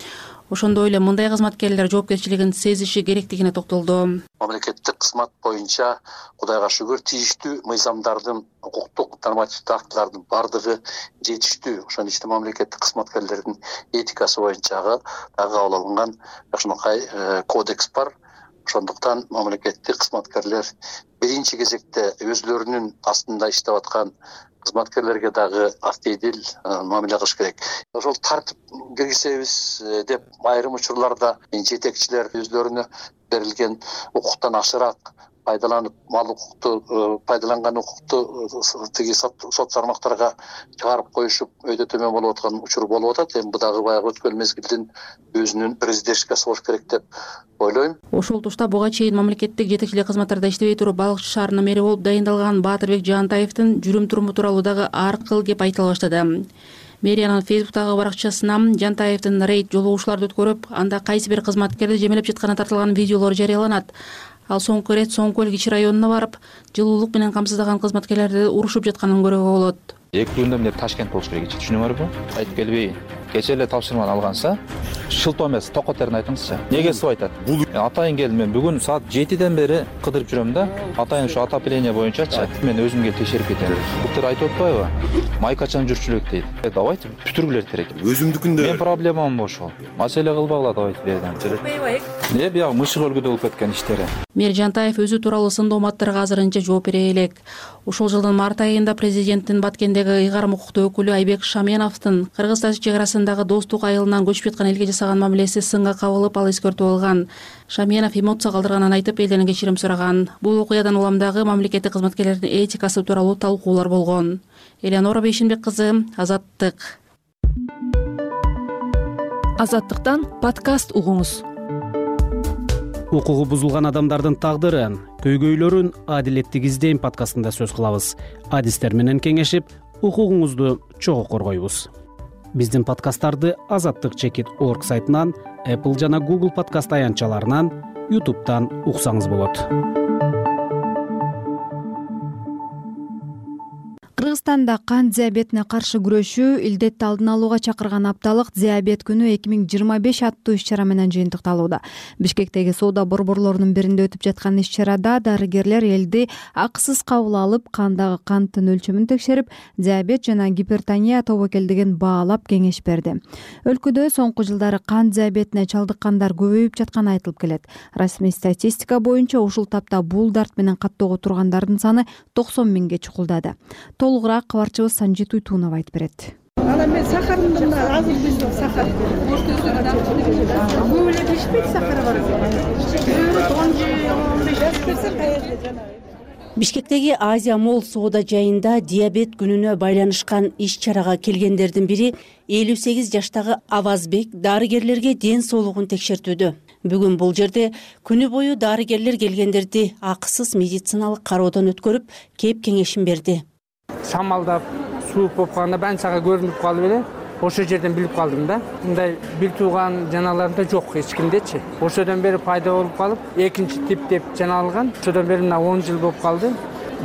Ошондой эле мындай кызматкерлер жоопкерчилигин сезиши керектигине токтолду. Мамлекеттик кызмат боюнча Кудайга шүгүр тийиштүү мыйзамдардын, укуктук нормативдик актылардын бардыгы жетиштүү. Ошон ичинде мамлекеттик кызматкерлердин этикасы боюнча дагы кабыл алынган жакшынакай кодекс бар. Ошондуктан мамлекеттик кызматкерлер биринчи кезекте өзлөрүнүн астында иштеп аткан кызматкерлерге дагы актедил мамиле кылыш керек. Ошол тартип киргизебиз деп айрым учурларда жетекчилер өзлөрүнө берилген укуктан ашыраак пайдаланып, мал укукту пайдаланган укукту тиги сот тармактарга чыгарып коюшуп өйдө төмөн болуп аткан учур болуп атат. Эми бу дагы баягы өткөн мезгилдин өзүнүн президентскасы болуш керек деп ойлойм. Ошол тушта буга чейин мамлекеттик жетекчилик кызматтарда иштебей туруп Балыкчы шаарынын мэри болуп дайындалган Баатырбек Жаантаевдин жүрүм туруму тууралуу дагы ар кыл кеп айтыла баштады. Мэриянын Фейсбуктагы баракчасына Жаантаевдин рейд жолугушууларды өткөрүп, анда кайсы бир кызматкерди жемелеп жатканы тартылган видеолор жарыяланат. Ал соңку ирет Соң Көл кичи районуна барып, жылуулук менен камсыздаган кызматкерлерди урушуп жатканын көрүүгө болот. 2 күндө эмне Ташкент болуш керек, түшүнүңөрбү? Айтып келбейин. Кече эле тапшырманы алганса, шылтоо эмес, токотерин айтыңызчы. Неге суу айтат? Атайын келди, мен бүгүн саат 7ден бери кыдырып жүрөм да. Атайын ушу отопление боюнчачы. Мен өзүмгө текшерип кетем. Буктар айтып атпайбы? Майкачан жүрчүлүк дейт. Давайте бүтүргүлөр керек. Өзүмдүкүндө. Мен проблемам ошол. Маселе кылбагыла давайте бердим. Биягы мышык өлгүдө болуп кеткен иштери. Мэр Жаантаев өзү тууралуу сын дооматтарга азырынча жооп бере элек. Ошол жылдын март айында президенттин Баткендеги ыйгарым укуктуу өкүлү Айбек Шаменовдун Кыргыз-Тажик чек арасындагы достук айылынан көчүп жаткан элге жасаган мамилеси сынга кабылып, ал эскертүү алган. Шаменов эмоция калтырганын айтып, элден кечирим сураган. Бул окуядан улам дагы мамлекеттик кызматкерлердин этикасы тууралуу талкуулар болгон. Элеонора Бейшенбек кызы, Азаттык. Азаттыктан подкаст угуңуз. Укугу бузулган адамдардын тагдыры, көйгөйлөрүн адилеттик издейм подкастында сөз кылабыз. Адистер менен кеңешип, укугуңузду чогуу коргойбуз. Биздин подкасттарды azattik.org сайтынан, Apple жана Google подкаст аянтчаларынан, YouTube'дан уксаңыз болот. Кыргызстанда кант диабетине каршы күрөшүү, илдетти алдын алууга чакырган апталык диабет күнү 2025 аттуу иш-чара менен жыйынтыкталууда. Бишкектеги соода борборлорунун биринде өтүп жаткан иш-чарада дарыгерлер элди акысыз кабыл алып, кандагы канттын өлчөмүн текшерип, диабет жана гипертония тобокелдигин баалап кеңеш берди. Өлкөдө соңку жылдары кант диабетине чалдыккандар көбөйүп жатканы айтылып келет. Расмий статистика боюнча ушул тапта бул дарт менен каттоого тургандардын саны 90 миңге чукулдады. Толугураак кабарчыбыз Санжит Уйтунов айтып берет. Ана мен сахарымды мына азыр биз сахар. Көп эле бишпейт сахары бар. 10-15 Бишкектеги Азия Молл соода жайында диабет күнүнө байланышкан иш-чарага келгендердин бири 58 жаштагы Авазбек дарыгерлерге ден соолугун текшертүүдө. Бүгүн бул жерде күнү бою дарыгерлер келгендерди акысыз медициналык кароодон өткөрүп, кеп кеңешин берди. Шамалдап, суук болуп калганда баары сага көрүнүп калып эле, ошол жерден билип калдым да. Мындай бир тууган жаналарымда жок эч кимдечи. Ошодон бери пайда болуп калып, экинчи тип деп жаналган. Ошодон бери мына 10 жыл болуп калды.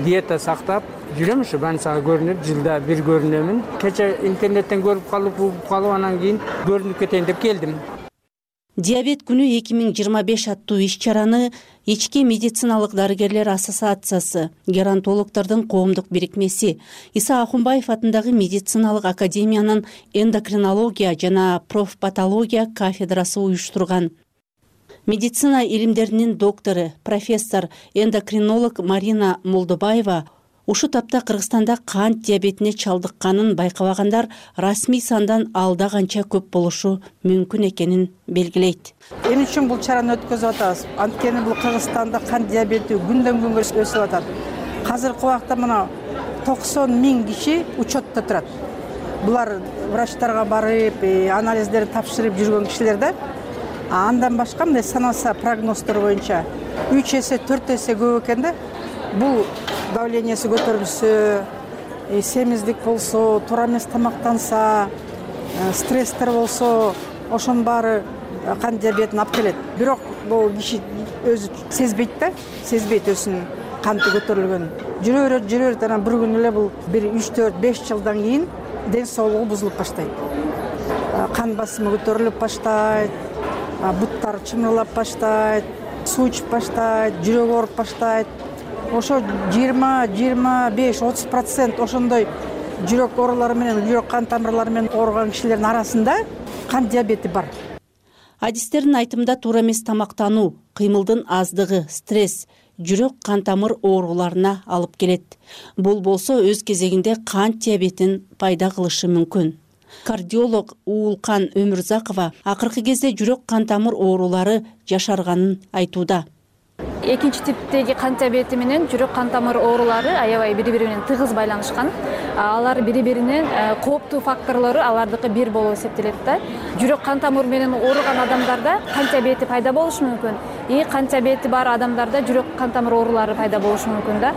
Диета сактап жүрөм, ушу баары сага көрүнүп, жылда бир көрүнөмүн. Кече интернеттен көрүп калып, анан кийин көрүнүп кетейин деп келдим. Диабет күнү 2025 аттуу иш-чараны Ички медициналык дарыгерлер ассоциациясы, геронтологдордун коомдук бирикмеси, Иса Ахунбаев атындагы медициналык академиянын эндокринология жана профпатология кафедрасы уюштурган. Медицина илимдеринин доктору, профессор, эндокринолог Марина Молдобаева ушу тапта Кыргызстанда кант диабетине чалдыкканын байкабагандар расмий сандан алда канча көп болушу мүмкүн экенин белгилейт. Эмне үчүн бул чараны өткөзүп атабыз? Анткени бул Кыргызстанда кант диабети күндөн күнгө өсүп атат. Азыркы убакта мына 90 миң киши учетто турат. Булар врачтарга барып, анализдерин тапшырып жүргөн кишилер да. Андан башка мындай саналса прогноздор боюнча 3 эсе, 4 эсе көп экен да. Бул давлениясы көтөрүлсө, семиздик болсо, туура эмес тамактанса, стресстер болсо, ошонун баары кант диабетин алып келет. Бирок бул киши өзү сезбейт өзүнүн канты көтөрүлгөнүн. Жүрө берет анан бир күн эле бул 1-3-4-5 жылдан кийин ден соолугу бузулуп баштайт. Кан басымы көтөрүлүп баштайт, буттары чымырлап баштайт, суу ичип баштайт, жүрөгү ооруп баштайт. Ошо 20-25-30% ошондой жүрөк оорулары менен, жүрөк кан тамырлары менен ооруган кишилердин арасында кант диабети бар. Адистердин айтымында туура эмес тамактануу, кыймылдын аздыгы, стресс жүрөк кан тамыр ооруларына алып келет. Бул болсо өз кезегинде кант диабетин пайда кылышы мүмкүн. Кардиолог Уулкан Өмүрзакова акыркы кезде жүрөк кан тамыр оорулары жашарганын айтууда. Экинчи типтеги кант диабети менен жүрөк кан тамыр оорулары аябай бири-бири менен тыгыз байланышкан. Алар бири-биринин кооптуу факторлору алардыкы бир болуп эсептелет да. Жүрөк кан тамыры менен ооруган адамдарда кант диабети пайда болушу мүмкүн. Кант диабети бар адамдарда жүрөк кан тамыр оорулары пайда болушу мүмкүн да.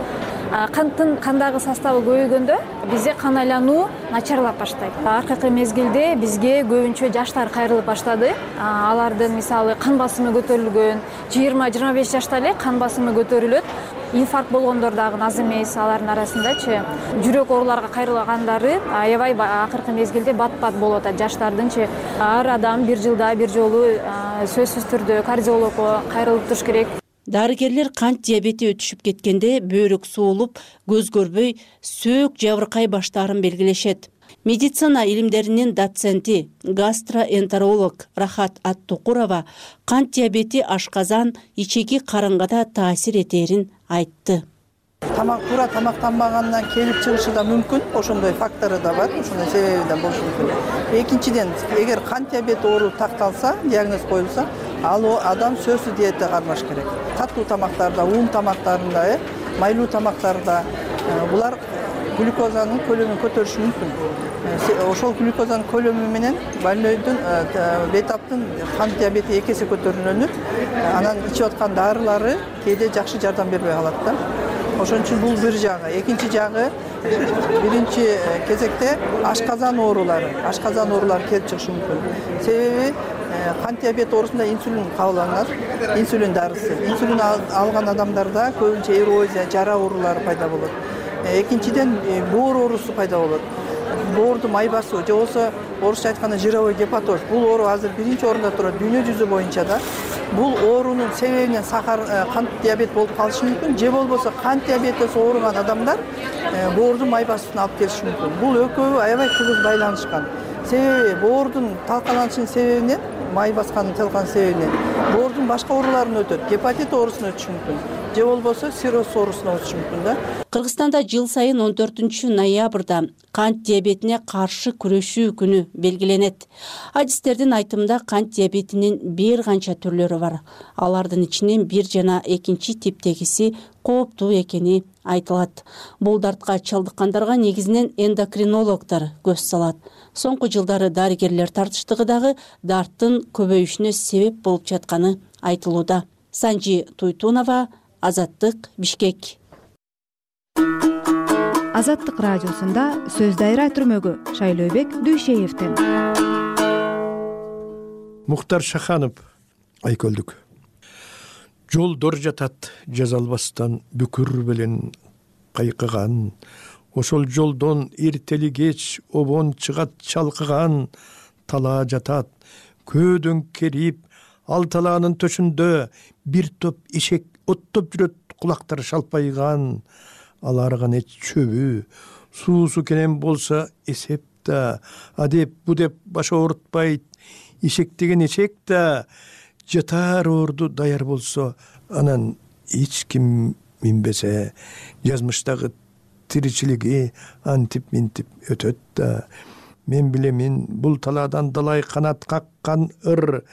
Канттын кандагы составы көбөйгөндө бизде кан айлануу начарлап баштайт. Акыркы мезгилде бизге көбүнчө жаштар кайрылып баштады. Алардын мисалы кан басымы көтөрүлгөн, 20-25 жашта эле кан басымы көтөрүлөт. Инфаркт болгондор дагы аз эмес алардын арасындачы. Жүрөк ооруларга кайрылгандары аябай акыркы мезгилде бат-бат болуп атат. Жаштардынчы ар адам бир жылда бир жолу сөзсүз түрдө кардиологко кайрылып туруш керек. Дарыгерлер кант диабети өтүшүп кеткенде бөйрөк суулуп, көз көрбөй, сөөк жабыркай баштаарын белгилешет. Медицина илимдеринин доценти, гастроэнтеролог Рахат Аттукурова кант диабети ашказан, ичеги карынга да таасир этерин айтты. Туура тамактанбагандан келип чыгышы да мүмкүн, ошондой фактору да бар, ошондой себеби да болушу мүмкүн. Экинчиден, эгер кант диабети оору такталса, диагноз коюлса, ал адам сөзсүз диета кармаш керек. Катуу тамактарда, ун тамактарында, майлуу тамактарда булар глюкозанын көлөмүн көтөрүшү мүмкүн. Ошол глюкозанын көлөмү менен больнойдун бетаптын кант диабети 2 эсе көтөрүлөнүп, анан ичип аткан дарылары кээде жакшы жардам бербей калат да. Ошон үчүн бул бир жагы. Экинчи жагы, биринчи кезекте ашказан оорулары келип чыгышы мүмкүн. Себеби кант диабети оорусунда инсулин кабылданат, инсулин дарысы. Инсулин алган адамдарда көбүнчө эрозия, жара оорулары пайда болот. Экинчиден боор оорусу пайда болот. Боордун май басуу же болбосо орусча айтканда жировой гепатоз. Бул оору азыр биринчи орунда турат дүйнө жүзү боюнча да. Бул оорунун себебинен кант диабет болуп калышы мүмкүн, же болбосо кант диабетиси ооруган адамдар боордун май басуусуна алып келиши мүмкүн. Бул экөө аябай тыгыз байланышкан. Себеби боордун талкаланышынын себебинен, май баскандын талкаланышынын себебинен боордун башка ооруларына өтөт, гепатит оорусуна өтүшү мүмкүн, же болбосо цирроз оорусуна өтүшү мүмкүн да. Кыргызстанда жыл сайын 14-ноябрда кант диабетине каршы күрөшүү күнү белгиленет. Адистердин айтымында кант диабетинин бир канча түрлөрү бар. Алардын ичинен 1 жана 2 типтегиси кооптуу экени айтылат. Бул дартка чалдыккандарга негизинен эндокринологдор көз салат. Соңку жылдары дарыгерлер тартыштыгы дагы дарттын көбөйүшүнө себеп болуп жатканы айтылууда. Санжи Туйтунова, Азаттык, Бишкек. Азаттык радиосунда сөз дайра түрмөгү Шайлообек Дүйшеевден. Мухтар Шаханов, Айкөлдүк. Жолдор жатат жаза албастан бүкүр белен кайкыган. Ошол жолдон эртели кеч обон чыгат чалкыган. Талаа жатат көөдөн керип, ал талаанын төшүндө бир топ ишек оттоп жүрөт, кулактары шалпайган. Аларган эч чөбү, суусу кенен болсо эсеп да, адеп бу деп баш оорутпайт. Ишек деген эчек да, жатар орду даяр болсо, анан эч ким минбесе, жазмыштагы тиричилиги антип-минтип өтөт да. Мен билемин, бул талаадан далай канат каккан ыр,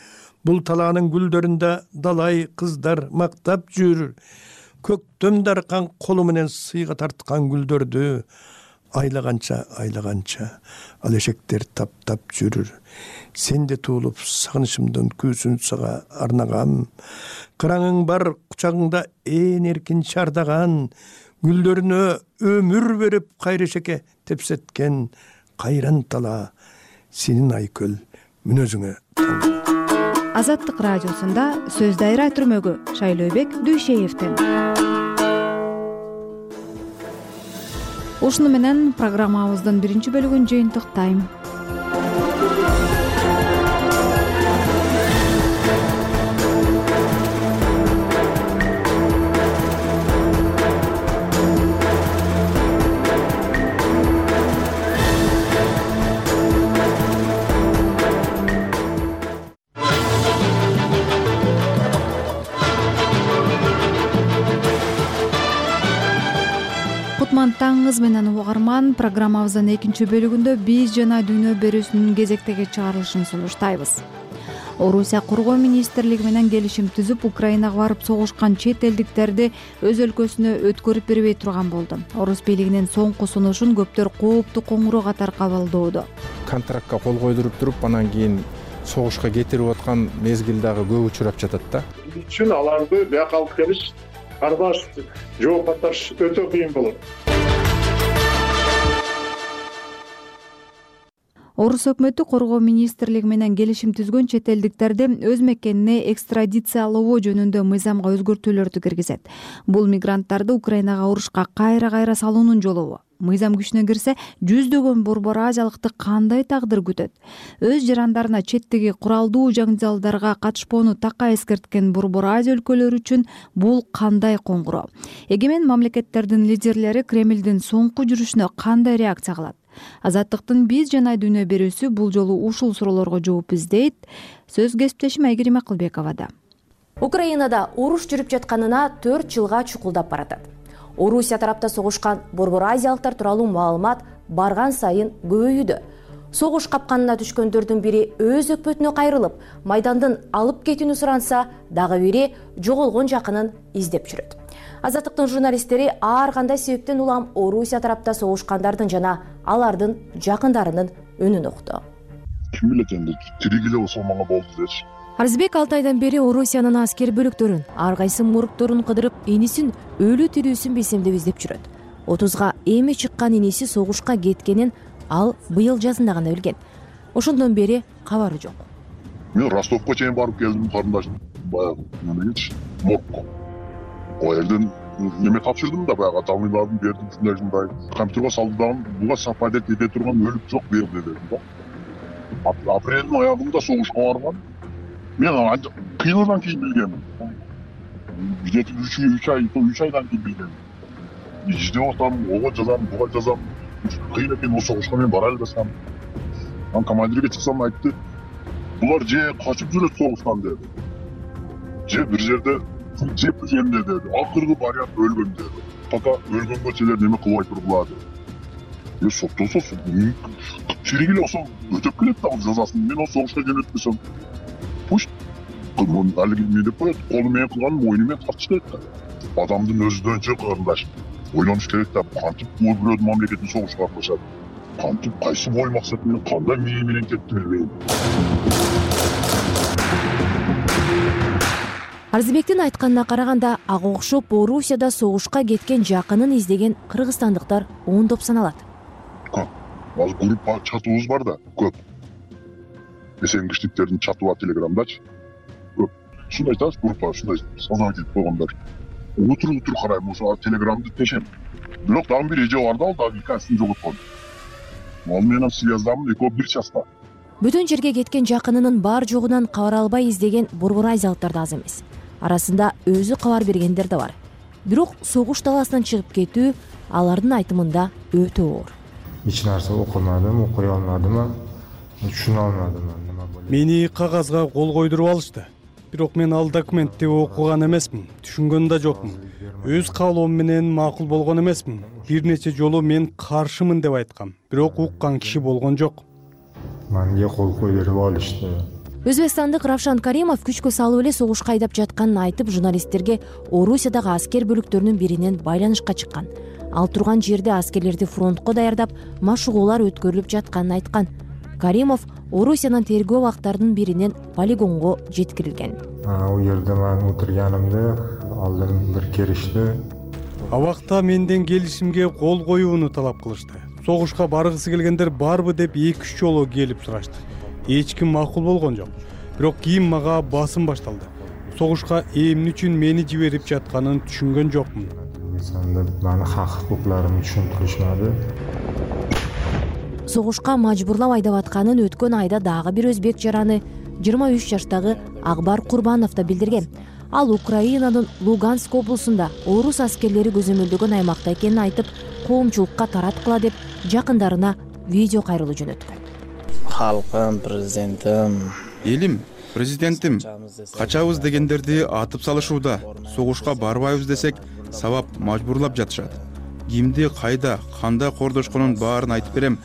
бул талаанын гүлдөрүндө далай кыздар мактап жүр. Көктөм даркан колу менен сыйга тарткан гүлдөрдү айлаганча ал эшектер таптап жүрүр. Сен де туулуп сагынычымдын күүсүн сага арнагам. Кыраңың бар кучагыңда ээн эркин чардаган, гүлдөрүнө өмүр берип кайрешеке тепсеткен кайран талаа сенин Айкөл мүнөзүңө. Азаттык радиосунда сөз дайра түрмөгү Шайлообек Дүйшеевден. Ушуну менен программабыздын биринчи бөлүгүн жыйынтыктайм. Таңыңыз менен угарман, программабыздын экинчи бөлүгүндө биз жана дүйнө берүүсүнүн кезектеги чыгарылышын сунуштайбыз. Орусия коргоо министрлиги менен келишим түзүп, Украинага барып согушкан чет элдиктерди өз өлкөсүнө өткөрүп бербей турган болду. Орус бийлигинин соңку сунушун көптөр кооптуу коңгуроо катары кабылдоодо. Контрактка кол койдуруп туруп, анан кийин согушка кетирип аткан мезгил дагы көп учурап жатат да. Биз үчүн аларды бияка алып келиш, арбаш жооп кайтарыш өтө кыйын болот. Орус өкмөтү коргоо министрлиги менен келишим түзгөн чет элдиктерди өз мекенине экстрадициялоо жөнүндө мыйзамга өзгөртүүлөрдү киргизет. Бул мигранттарды Украинага урушка кайра салуунун жолу. Мыйзам күчүнө кирсе, жүздөгөн борбор азиялыкты кандай тагдыр күтөт? Өз жарандарына четтеги куралдуу жаңжалдарга катышпоону такка эскерткен борбор Азия өлкөлөрү үчүн бул кандай коңгуроо? Эгемен мамлекеттердин лидерлери Кремлдин соңку жүрүшүнө кандай реакция кылат? Азаттыктын биз жана дүйнө берүүсү бул жолу ушул суроолорго жооп издейт. Сөз кесиптешим Айгерим Акылбековада. Украинада уруш жүрүп жатканына 4 жылга чукулдап баратат. Орусия тарапта согушкан борбор азиялыктар тууралуу маалымат барган сайын көбөйүүдө. Согуш капканына түшкөндөрдүн бири өз өкмөтүнө кайрылып, майдандын алып кетүүнү суранса, дагы бири жоголгон жакынын издеп жүрөт. Азаттыктын журналисттери ар кандай себептен улам Орусия тарапта согушкандардын жана алардын жакындарынын өнүн укту. Ким билет энди, тирик эле болсо мага болду дечи. Арзбек 6 айдан бери Орусиянын аскер бөлүктөрүн, ар кайсы моргторун кыдырып, энисин өлү тирүүсүн билсем деп издеп жүрөт. 30га эми чыккан иниси согушка кеткенин ал быйыл жазында гана билген. Ошондон бери кабары жок. Мен Ростовко чейин барып келдим, карындашым баягы немечи, моргко. О жерден неме тапшырдым да, баягы аталмыйларын бердим, ушундай компьютерге салдым, буга совпадать эте турган өлүп жок берди дедим да. Апрелдин аягында согушка барган. Мен кыйындан кийин билгем. Где-то 3 айдан кийин билгем. Издеп атам, ого жазам, буга жазам. Кыйын экен, о согушка мен бара албасам. Анан командирге чыксам айтты, булар же качып жүрөт согуштан деди. Же бир жерде жеп жеринде деди. Акыркы вариант өлгөн деди. Пока өлгөнгө чейин неме кылбай тургула деди. Соктосо, чирик эле болсо өтөп келет да жазасын. Мен о согушка жөнөтпөсөм, пусть алиги эмне деп коет, колу менен кылган мойну менен тартыш керек да. Адамдын өзүнчө карындаш ойлонуш керек да, кантип бирөөдүн мамлекетин согушка катышат, кантип кайсы ой максат менен кандай мээ менен кетти билбейм. Арзбектин айтканына караганда, ага окшоп Орусияда согушка кеткен жакынын издеген кыргызстандыктар ондоп саналат. Азыр группа чатыбыз бар да, көп. Эсенгичтиктердин чаты бар Телеграмдачы. Көп. Ушундай айтасыз, группа ушундай создавать этип койгондар. Утур карайм, ошо Телеграмды тешем. Бирок дагы бир эже бар да, ал дагы икенсин жоготкон. Ал менен связьдамын, экөө бир часта. Бүтүн жерге кеткен жакынынын бар жогунан кабар албай издеген борбор азиялыктар да аз эмес. Арасында өзү кабар бергендер да бар. Бирок согуш талаасынан чыгып кетүү алардын айтымында өтө оор. Эч нерсе окумадым, окуй алмадым, түшүнө алмадым. Мени кагазга кол койдуруп алышты. Бирок мен ал документти окуган эмесмин, түшүнгөн да жокмун. Өз каалоом менен макул болгон эмесмин. Бир нече жолу мен каршымын деп айткам, бирок уккан киши болгон жок. Менге кол койдуруп алышты. Өзбекстандык Равшан Каримов күчкө салып эле согушка айдап жатканын айтып, журналисттерге Орусиядагы аскер бөлүктөрүнүн биринен байланышка чыккан. Ал турган жерде аскерлерди фронтко даярдап, машыгуулар өткөрүлүп жатканын айткан. Каримов Орусиянын тергөө абактарынын биринен полигонго жеткирилген. Ал жерде мен отурганымда алдын бир келишти. Абакта менден келишимге кол коюуну талап кылышты. Согушка баргысы келгендер барбы деп 2-3 жолу келип сурашты. Эч ким макул болгон жок. бирок кийин мага басым башталды. Согушка эмне үчүн мени жиберип жатканын түшүнгөн жокмун. Мени хак укуктарымды түшүндүрүшмөдү. Согушка мажбурлап айдап атканын өткөн айда дагы бир өзбек жараны 23 жаштагы Акбар Курбанов да билдирген. Ал Украинанын Луганск облусунда орус аскерлери көзөмөлдөгөн аймакта экенин айтып, коомчулукка тараткыла деп жакындарына видео кайрылуу жөнөткөн. Халкым, президентим, элим, президентим, качабыз дегендерди атып салышууда. Согушка барбайбыз десек, сабап мажбурлап жатышат. Кимди кайда, кандай кордошконун баарын айтып берем.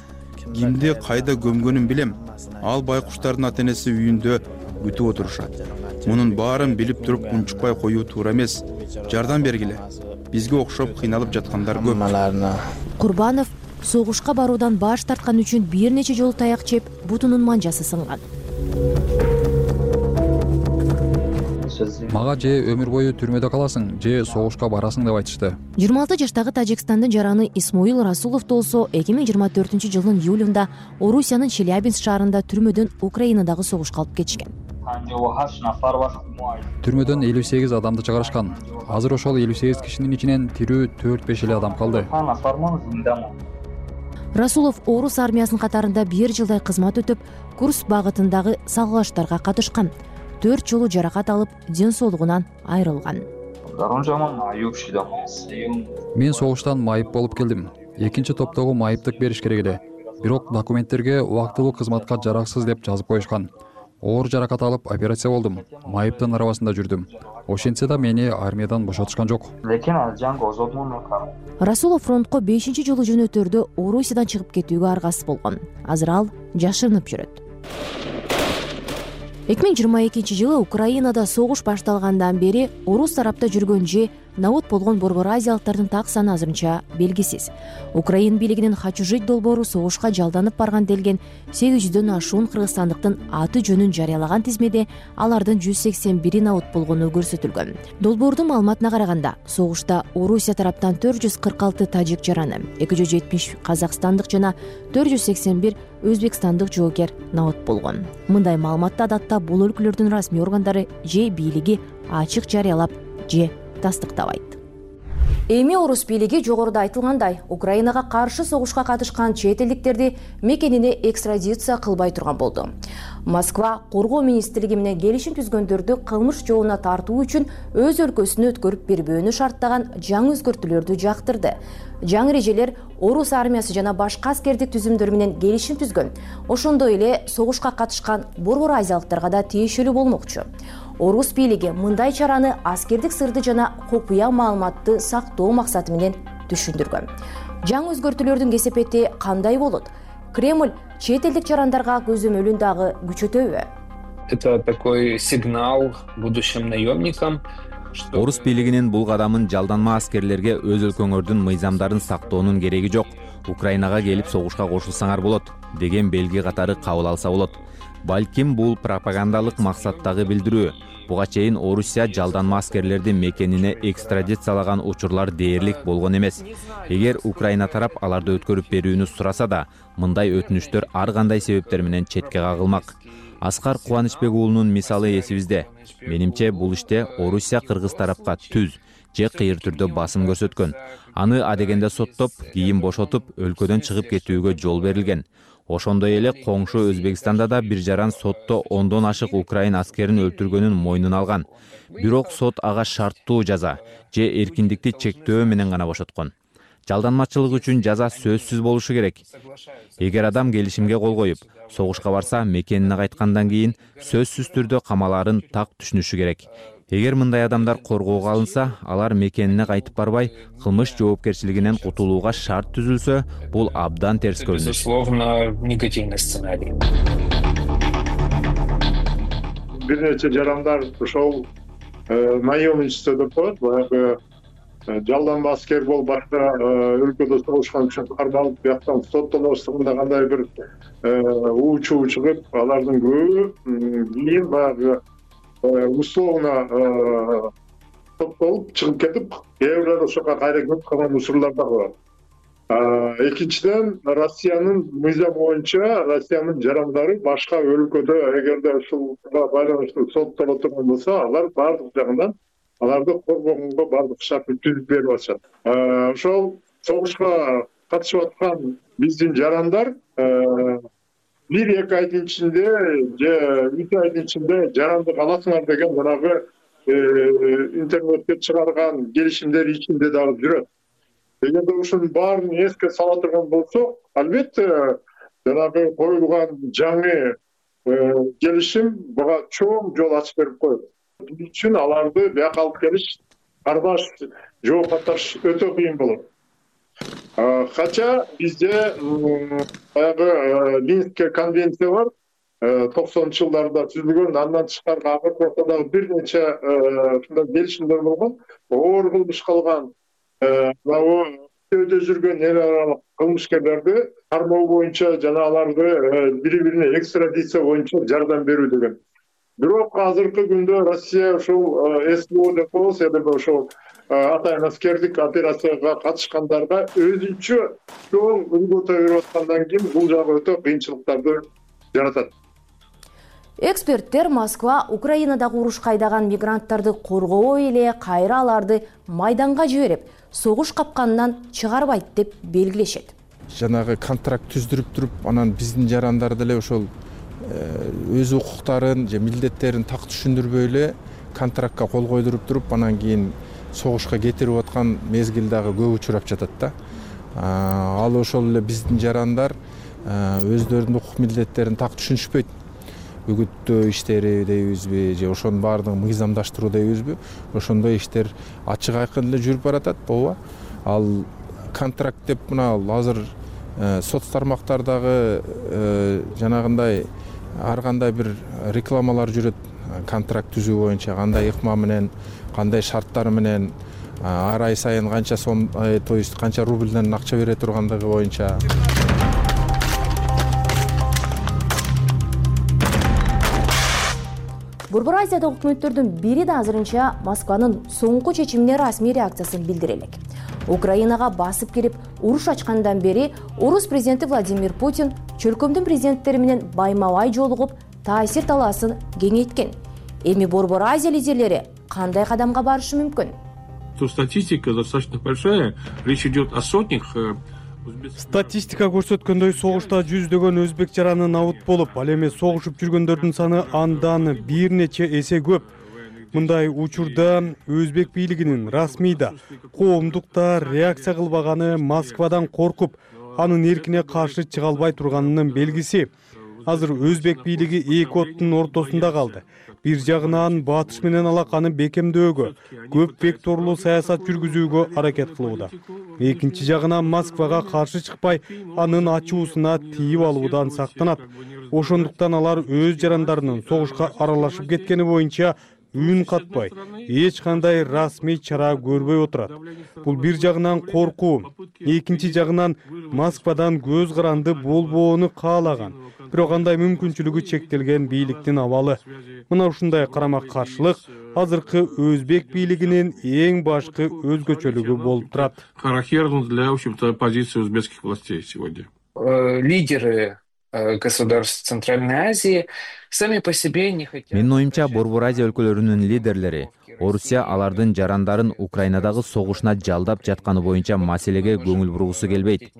Кимди кайда көмгөнүн билем. Ал байкуштардын ата-энеси үйүндө күтүп отурушат. Мунун баарын билип туруп унчукпай коюу туура эмес. Жардам бергиле. Бизге окшоп кыйналып жаткандар көп. Курбанов согушка баруудан баш тарткан үчүн бир нече жолу таяк жеп, бутунун манжасы сынган. Мага же өмүр бою түрмөдө каласың, же согушка барасың деп айтышты. 26 жаштагы Тажикстандын жараны Исмоил Расулов болсо 2024-жылдын июлунда Орусиянын Челябинск шаарында түрмөдөн Украинадагы согушка алып кетишкен. Түрмөдөн 58 адамды чыгарышкан. Азыр ошол 58 кишинин ичинен тирүү 4-5 эле адам калды. Расулов орус армиясынын катарында 1 жылдай кызмат өтүп, Курск багытындагы салгылаштарга катышкан. 4 жолу жаракат алып, ден соолугунан айрылган. Мен согуштан майып болуп келдим. Экинчи топтогу майыптык бериш керек эле. Бирок документтерге убактылуу кызматка жараксыз деп жазып коюшкан. Оор жаракат алып операция болдум. Майыптын арабасында жүрдүм. Ошентсе да мени армиядан бошотушкан жок. Расулов фронтко 5-чи жолу жөнөтөрдө Орусиядан чыгып кетүүгө аргасыз болгон. Азыр ал жашырынып жүрөт. 2022-жылы Украинада согуш башталгандан бери орус тарапта жүргөн же навод болгон борбор азиялыктардын так саны азырынча белгисиз. Украин бийлигинин «Хочу жить» долбоору согушка жалданып барган делген 800дөн ашуун кыргызстандыктын аты жөнүн жарыялаган тизмеде алардын 181 навод болгону көрсөтүлгөн. Долбоордун маалыматына караганда, согушта Орусия тараптан 446 тажик жараны, 270 казакстандык жана 481 өзбекстандык жоокер навод болгон. Мындай маалыматты адатта бул өлкөлөрдүн расмий органдары же бийлиги ачык жарыялап же тастыктабайт. Эми орус бийлиги жогоруда айтылгандай, Украинага каршы согушка катышкан чет элдиктерди мекенине экстрадиция кылбай турган болду. Москва коргоо министрлиги менен келишим түзгөндөрдү кылмыш жообуна тартуу үчүн өз өлкөсүнө өткөрүп бербөөнү шарттаган жаңы өзгөртүүлөрдү жактырды. Жаңы эрежелер орус армиясы жана башка аскердик түзүмдөр менен келишим түзгөн. Ошондой эле согушка катышкан борбор азиялыктарга да тиешелүү болмокчу. Орус бийлиги мындай чараны аскердик сырды жана купуя маалыматты сактоо максаты менен түшүндүргөн. Жаңы өзгөртүүлөрдүн кесепети кандай болот? Кремль чет элдик жарандарга көзөмөлүн дагы күчөтөбү? Это такой сигнал будущим наемникам. Орус бийлигинин бул кадамын жалданма аскерлерге өз өлкөңөрдүн мыйзамдарын сактоонун кереги жок. Украинага келип согушка кошулсаңар болот деген белги катары кабыл алса болот. Балким бул пропагандалык максаттагы билдирүү. Буга чейин Орусия жалданма аскерлерди мекенине экстрадициялаган учурлар дээрлик болгон эмес. Эгер Украина тарап аларды өткөрүп берүүнү сураса да, мындай өтүнүчтөр ар кандай себептер менен четке кагылмак. Аскар Кубанычбек уулунун мисалы эсибизде. Менимче бул иште Орусия кыргыз тарапка түз же кыйыр түрдө басым көрсөткөн. Аны адегенде соттоп, кийин бошотуп, өлкөдөн чыгып кетүүгө жол берилген. Ошондой эле коңшу Өзбекстанда да бир жаран сотто 10дон ашык украин аскерин өлтүргөнүн мойнуна алган. Бирок сот ага шарттуу жаза же эркиндикти чектөө менен гана бошоткон. Жалданмачылык үчүн жаза сөзсүз болушу керек. Эгер адам келишимге кол коюп, согушка барса, мекенине кайткандан кийин сөзсүз түрдө камалаарын так түшүнүшү керек. Эгер мындай адамдар коргоого алынса, алар мекенине кайтып барбай, кылмыш жоопкерчилигинен кутулууга шарт түзүлсө, бул абдан терс көрүнүш. Безусловно, негативный сценарий. Бир нече жарандар ошол наемничество деп коет, баягы жалданма аскер болуп башка өлкөдө согушкан үчүн кармалып, бияктан соттолоштугунда кандай бир уучу чыгып, алардын көбү кийин баягы условно соттолуп чыгып кетип, кээ бирлер ошого кайра келип калган учурлар дагы бар. Экинчиден, Россиянын мыйзамы боюнча Россиянын жарандары башка өлкөдө эгерде ушуга байланыштуу соттоло турган болсо, алар баардык жагынан аларды коргогонго баардык шартты түзүп берип атышат. Ошол согушка катышып аткан биздин жарандар 1-2 айдын ичинде же 3 айдын ичинде жарандык аласыңар деген жанагы интернетке чыгарган келишимдер ичинде дагы жүрөт. Эгерде ушунун баарын эске сала турган болсок, албетте жанагы коюлган жаңы келишим буга чоң жол ачып берип коет. Бул үчүн аларды бияка алып келиш, кардаш, жооп катыш өтө кыйын болот. Кача бизде баягы Минскке конвенция бар, 90-жылдарда түзүлгөн, андан тышкары акыркы ортодагы бир нече ушундай келишимдер болгон. Оор кылмыш кылган өтө жүргөн эл аралык кылмышкерлерди кармоо боюнча жана аларды бири-бирине экстрадиция боюнча жардам берүү деген. Бирок азыркы күндө Россия ушул СВО деп коебуз, ошол атайын аскердик операцияга катышкандарга өзүнчө чоң үлгү берип аткандан кийин бул жагы өтө кыйынчылыктарды жаратат. Эксперттер Москва Украинадагы урушка айдаган мигранттарды коргобой эле кайра аларды майданга жиберип, согуш капканынан чыгарбайт деп белгилешет. Жанагы контракт түздүрүп туруп, анан биздин жарандар деле ошол өз укуктарын же милдеттерин так түшүндүрбөй эле контрактка кол койдуруп туруп, анан кийин согушка кетирип аткан мезгил дагы көп учурап жатат да. Ал ошол эле биздин жарандар өздөрүнүн укук милдеттерин так түшүнүшпөйт. Үгүттөө иштери дейбизби же ошонун баардыгын мыйзамдаштыруу дейбизби, ошондой иштер ачык айкын эле жүрүп баратат, ооба. Ал контракт деп мына азыр соц тармактардагы жанагындай ар кандай бир рекламалар жүрөт, контракт түзүү боюнча кандай ыкма менен, кандай шарттар менен, ар ай сайын канча сом, то есть канча рубльден акча бере тургандыгы боюнча. Борбор Азиядагы өкмөттөрдүн бири да азырынча Москванын соңку чечимине расмий реакциясын билдире элек. Украинага басып кирип, уруш ачкандан бери орус президенти Владимир Путин чөлкөмдүн президенттери менен байма-бай жолугуп, таасир талаасын кеңейткен. Эми Борбор Азия лидерлери кандай кадамга барышы мүмкүн? Статистика достаточно большая. Речь идет о сотнях. Статистика көрсөткөндөй, согушта жүздөгөн өзбек жараны набыт болуп, ал эми согушуп жүргөндөрдүн саны андан бир нече эсе көп. Мындай учурда өзбек бийлигинин расмий да, коомдук да реакция кылбаганы Москвадан коркуп, анын эркине каршы чыга албай турганынын белгиси. Азыр өзбек бийлиги эки оттун ортосунда калды. Бир жагынан батыш менен алаканы бекемдөөгө, көп векторлуу саясат жүргүзүүгө аракет кылууда. Экинчи жагынан Москвага каршы чыкпай, анын ачуусуна тийип алуудан сактанат. Ошондуктан алар өз жарандарынын согушка аралашып кеткени боюнча үн катпай, эч кандай расмий чара көрбөй отурат. Бул бир жагынан коркуу, экинчи жагынан Москвадан көз каранды болбоону каалаган, бирок андай мүмкүнчүлүгү чектелген бийликтин абалы. Мына ушундай карама-каршылык азыркы өзбек бийлигинин эң башкы өзгөчөлүгү болуп турат. Характерно для, в общем-то, позиции узбекских властей сегодня. Лидеры государств Центральной Азии сами по себе не хотят. Менин оюмча, Борбор Азия өлкөлөрүнүн лидерлери Орусия алардын жарандарын Украинадагы согушуна жалдап жатканы боюнча маселеге көңүл бургусу келбейт.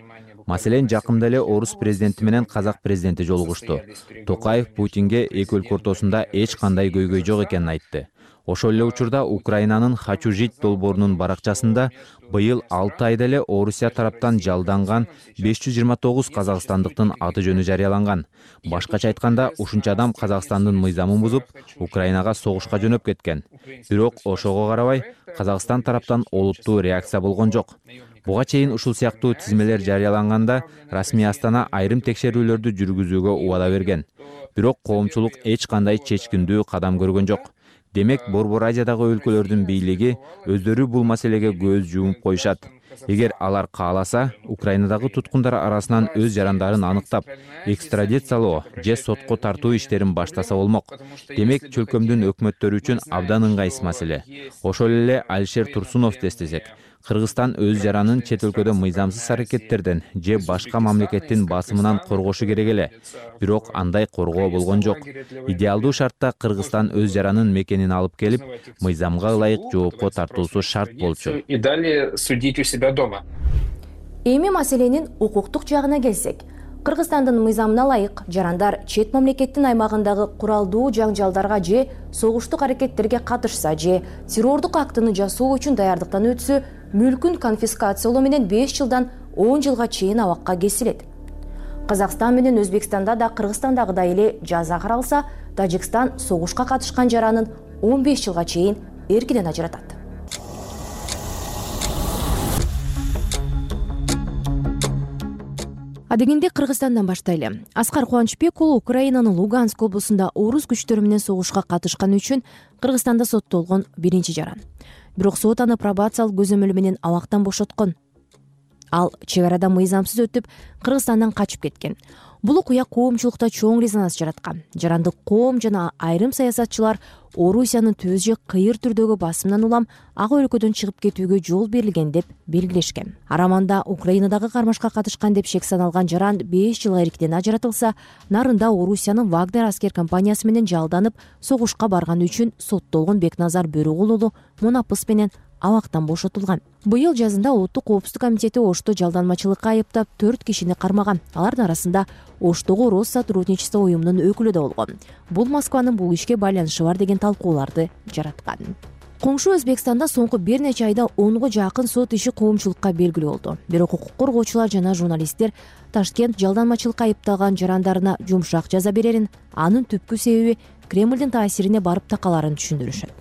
Маселен, жакында эле орус президенти менен казак президенти жолугушту. Токаев Путинге эки өлкө ортосунда эч кандай көйгөй жок экенин айтты. Ошол эле учурда Украинанын «Хочу жить» долбоорунун баракчасында быйыл 6 айда эле Орусия тараптан жалданган 529 казакстандыктын аты жөнү жарыяланган. Башкача айтканда, ушунча адам Казакстандын мыйзамын бузуп, Украинага согушка жөнөп кеткен. Бирок ошого карабай, Казакстан тараптан олуттуу реакция болгон жок. Буга чейин ушул сыяктуу тизмелер жарыяланганда расмий Астана айрым текшерүүлөрдү жүргүзүүгө убада берген. Бирок коомчулук эч кандай чечкиндүү кадам көргөн жок. Демек, Борбор Азиядагы өлкөлөрдүн бийлиги өздөрү бул маселеге көз жумуп коюшат. Эгер алар кааласа, Украинадагы туткундар арасынан өз жарандарын аныктап, экстрадициялоо же сотко тартуу иштерин баштаса болмок. Демек, чөлкөмдүн өкмөттөрү үчүн абдан ыңгайсыз маселе. Ошол эле Алишер Турсуновду эстесек, Кыргызстан өз жаранын чет өлкөдө мыйзамсыз аракеттерден же башка мамлекеттин басымынан коргошу керек эле. Бирок андай коргоо болгон жок. Идеалдуу шартта Кыргызстан өз жаранын мекенин алып келип, мыйзамга ылайык жоопко тартуусу шарт болчу. И далее судить у себя дома. Эми маселенин укуктук жагына келсек, Кыргызстандын мыйзамына ылайык жарандар чет мамлекеттин аймагындагы куралдуу жаңжалдарга же согуштук аракеттерге катышса же террордук актыны жасоо үчүн даярдыктан өтсө, мүлкүн конфискациялоо менен 5 жылдан 10 жылга чейин абакка кесилет. Казакстан менен Өзбекстанда да Кыргызстандагыдай эле жаза каралса, Тажикстан согушка катышкан жаранын 15 жылга чейин эркинен ажыратат. Адегенде Кыргызстандан баштайлы. Аскар Кубанычбек уулу Украинанын Луганск облусунда орус күчтөрү менен согушка катышканы үчүн Кыргызстанда соттолгон биринчи жаран. Бирок сот аны пробациялык көзөмөл менен абактан бошоткон. Ал чек арада мыйзамсыз өтүп, Кыргызстандан качып кеткен. Бул окуя коомчулукта чоң резонанс жараткан. Жарандык коом жана айрым саясатчылар Орусиянын төз же кыйыр түрдөгү басымынан улам ак өлкөдөн чыгып кетүүгө жол берилген деп белгилешкен. Араманда Украинадагы кармашка катышкан деп шек саналган жаран 5 жылга эркинен ажыратылса, нарында Орусиянын Вагнер аскер компаниясы менен жалданып, согушка барганы үчүн соттолгон Бекназар Бөрүгул уулу Мунапыс менен абактан бошотулган. Быйыл жазында Улуттук коопсуздук комитети Ошто жалданмачылыкка айыптап 4 кишини кармаган. Алардын арасында Оштогу Россотрудничество уюмунун өкүлү да болгон. Бул Москванын бул ишке байланышы бар деген талкууларды жараткан. Коңшу Өзбекстанда соңку бир нече айда 10го жакын сот иши коомчулукка белгилүү болду. Бирок укук коргоочулар жана журналисттер Ташкент жалданмачылыкка айыпталган жарандарына жумшак жаза берерин, анын түпкү себеби Кремлдин таасирине барып такаларын түшүндүрүшөт.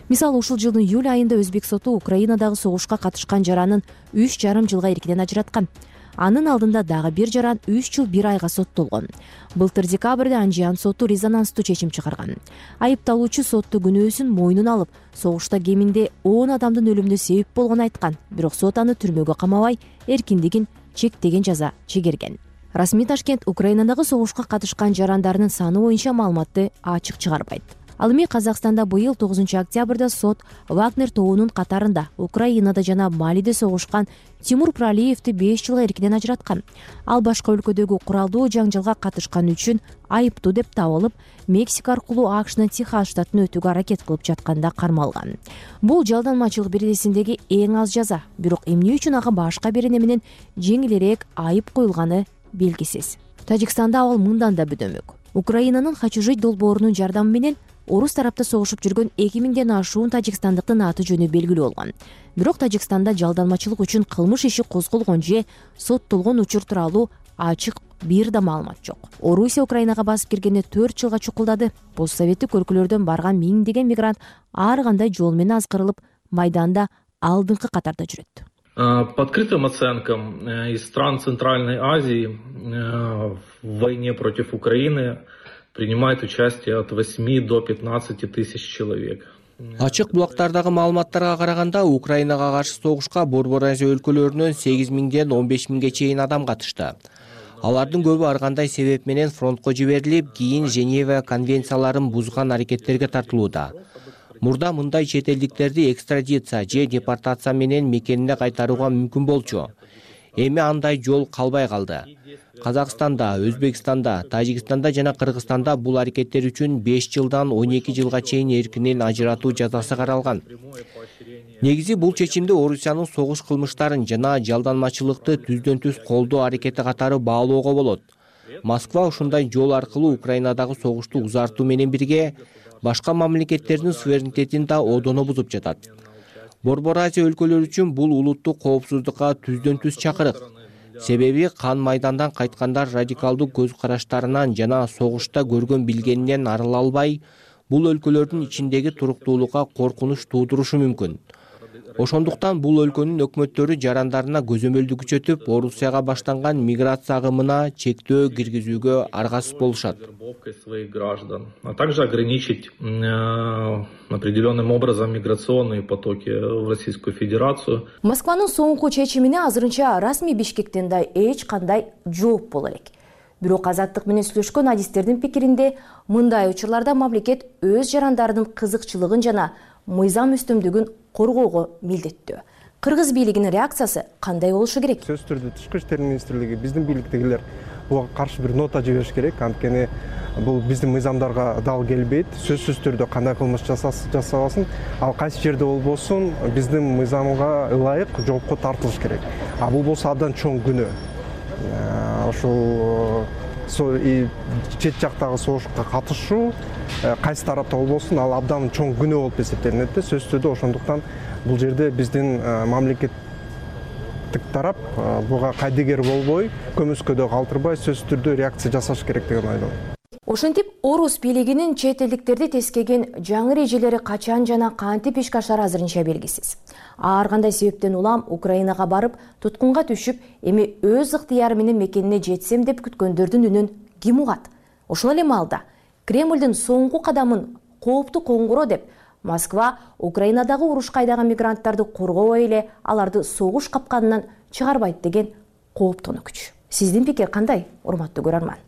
Мисалы, ушул жылдын июль айында Өзбек соту Украинадагы согушка катышкан жаранын 3,5 жылга эркинен ажыраткан. Анын алдында дагы бир жаран 3 жыл 1 айга соттолгон. Былтыр декабрда Анжиан соту резонанстуу чечим чыгарган. Айыпталуучу сотто күнөөсүн мойнуна алып, согушта кеминде 10 адамдын өлүмүнө себеп болгонун айткан. Бирок сот аны түрмөгө камабай, эркиндигин чектеген жаза чегерген. Расмий Ташкент Украинадагы согушка катышкан жарандардын саны боюнча маалыматты ачык чыгарбайт. Ал эми Казакстанда быйыл 9 октябрда сот Вагнер тобунун катарында Украинада жана Малиде согушкан Тимур Пралиевди 5 жылга эркинен ажыраткан. Ал башка өлкөдөгү куралдуу жаңжалга катышканы үчүн айыптуу деп табылып, Мексика аркылуу АКШнын Техас штатын өтүүгө аракет кылып жатканда кармалган. Бул жалданмачылык бирдесиндеги эң аз жаза, бирок эмне үчүн ага башка берене менен жеңилирээк айып коюлганы белгисиз. Тажикстанда ал мындан да бүдөмөк. Украинанын «Хочу жить» долбоорунун жардамы менен орус тарапта согушуп жүргөн 2000ден ашуун тажикстандыктын аты жөнү белгилүү болгон. Бирок Тажикстанда жалданмачылык үчүн кылмыш иши козголгон же соттолгон учур тууралуу ачык бир да маалымат жок. Орусия Украинага басып киргенде 4 жылга чукулдады. Постсоветтик өлкөлөрдөн барган миңдеген мигрант ар кандай жол менен азгырылып, майданда алдыңкы катарда жүрөт. По открытым оценкам, из стран Центральной Азии в войне против Украины принимает участие от 8 до 15 тысяч человек. Ачык булактардагы маалыматтарга караганда, Украинага каршы согушка Борбор Азия өлкөлөрүнөн 8 000ден 15 000ге чейин адам катышты. Алардын көбү ар кандай себеп менен фронтко жиберилип, кийин Женева конвенцияларын бузган аракеттерге тартылууда. Мурда мындай чет элдиктерди экстрадиция же депортация менен мекенине кайтарууга мүмкүн болчу. Эми андай жол калбай калды. Казакстанда, Өзбекстанда, Тажикстанда жана Кыргызстанда бул аракеттер үчүн 5 жылдан 12 жылга чейин эркинен ажыратуу жазасы каралган. Негизи бул чечимди Орусиянын согуш кылмыштарын жана жалданмачылыкты түздөн түз колдоо аракети катары баалоого болот. Москва ушундай жол аркылуу Украинадагы согушту узартуу менен бирге башка мамлекеттердин суверенитетин да одоно бузуп жатат. Борбор Азия өлкөлөрү үчүн бул улуттук коопсуздукка түздөн түз чакырык. Себеби кан майдандан кайткандар радикалдуу көз караштарынан жана согушта көргөн билгенинен арыла албай, бул өлкөлөрдүн ичиндеги туруктуулукка коркунуч туудурушу мүмкүн. Ошондуктан бул өлкөнүн өкмөттөрү жарандарына көзөмөлдү күчөтүп, Орусияга баштанган миграция агымына чектөө киргизүүгө аргасыз болушат. Своих граждан, а также ограничить определенным образом миграционные потоки в Российскую Федерацию. Москванын соңку чечимине азырынча расмий Бишкектен да эч кандай жооп боло элек. Бирок Азаттык менен сүйлөшкөн адистердин пикиринде мындай учурларда мамлекет өз жарандарынын кызыкчылыгын жана мыйзам үстөмдүгүн коргоого милдеттүү. Кыргыз бийлигинин реакциясы кандай болушу керек? Сөзсүз түрдө Тышкы иштер министрлиги, биздин бийликтегилер буга каршы бир нота жибериш керек. Анткени бул биздин мыйзамдарга дал келбейт. Сөзсүз түрдө кандай кылмыш жасабасын, ал кайсы жерде болбосун, биздин мыйзамга ылайык жоопко тартылыш керек. А бул болсо абдан чоң күнөө. Ошол чет жактагы согушка катышуу кайсы тарапта болбосун, ал абдан чоң күнөө болуп эсептелинет. Сөзсүз түрдө ошондуктан бул жерде биздин мамлекеттик тарап буга кайдыгер болбой, көмүскөдө калтырбай сөзсүз түрдө реакция жасаш керек деген ойдомун. Ошентип, Орус бийлигинин чет элдиктерди тескеген жаңы эрежелери качан жана кантип ишке ашары азырынча белгисиз. Ар кандай себептен улам Украинага барып, туткунга түшүп, эми өз ыктыяры менен мекенине жетсем деп күткөндөрдүн үнүн ким угат? Ошол эле маалда Кремлдин соңку кадамын кооптуу коңгуроо деп Москва Украинадагы урушка айдаган мигранттарды коргобой эле аларды согуш капканынан чыгарбайт деген кооптонуч. Сиздин пикир кандай, урматтуу көрөрман?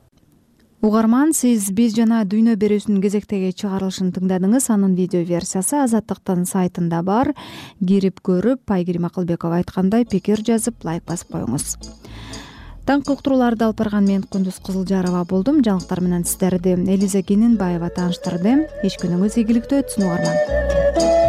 Угарман, сиз биз жана дүйнө берүүсүнүн кезектеги чыгарылышын тыңдадыңыз. Анын видео версиясы Азаттыктын сайтында бар. Кирип көрүп, Айгерим Акылбекова айткандай пикир жазып, лайк басып коюңуз. Таңкы уктурууларды алып барган мен Кундуз Кызылжарова болдум. Жаңылыктар менен сиздерди Элиза Кененбаева тааныштырды. Эч күнүңүз ийгиликтүү өтсүн, угарман.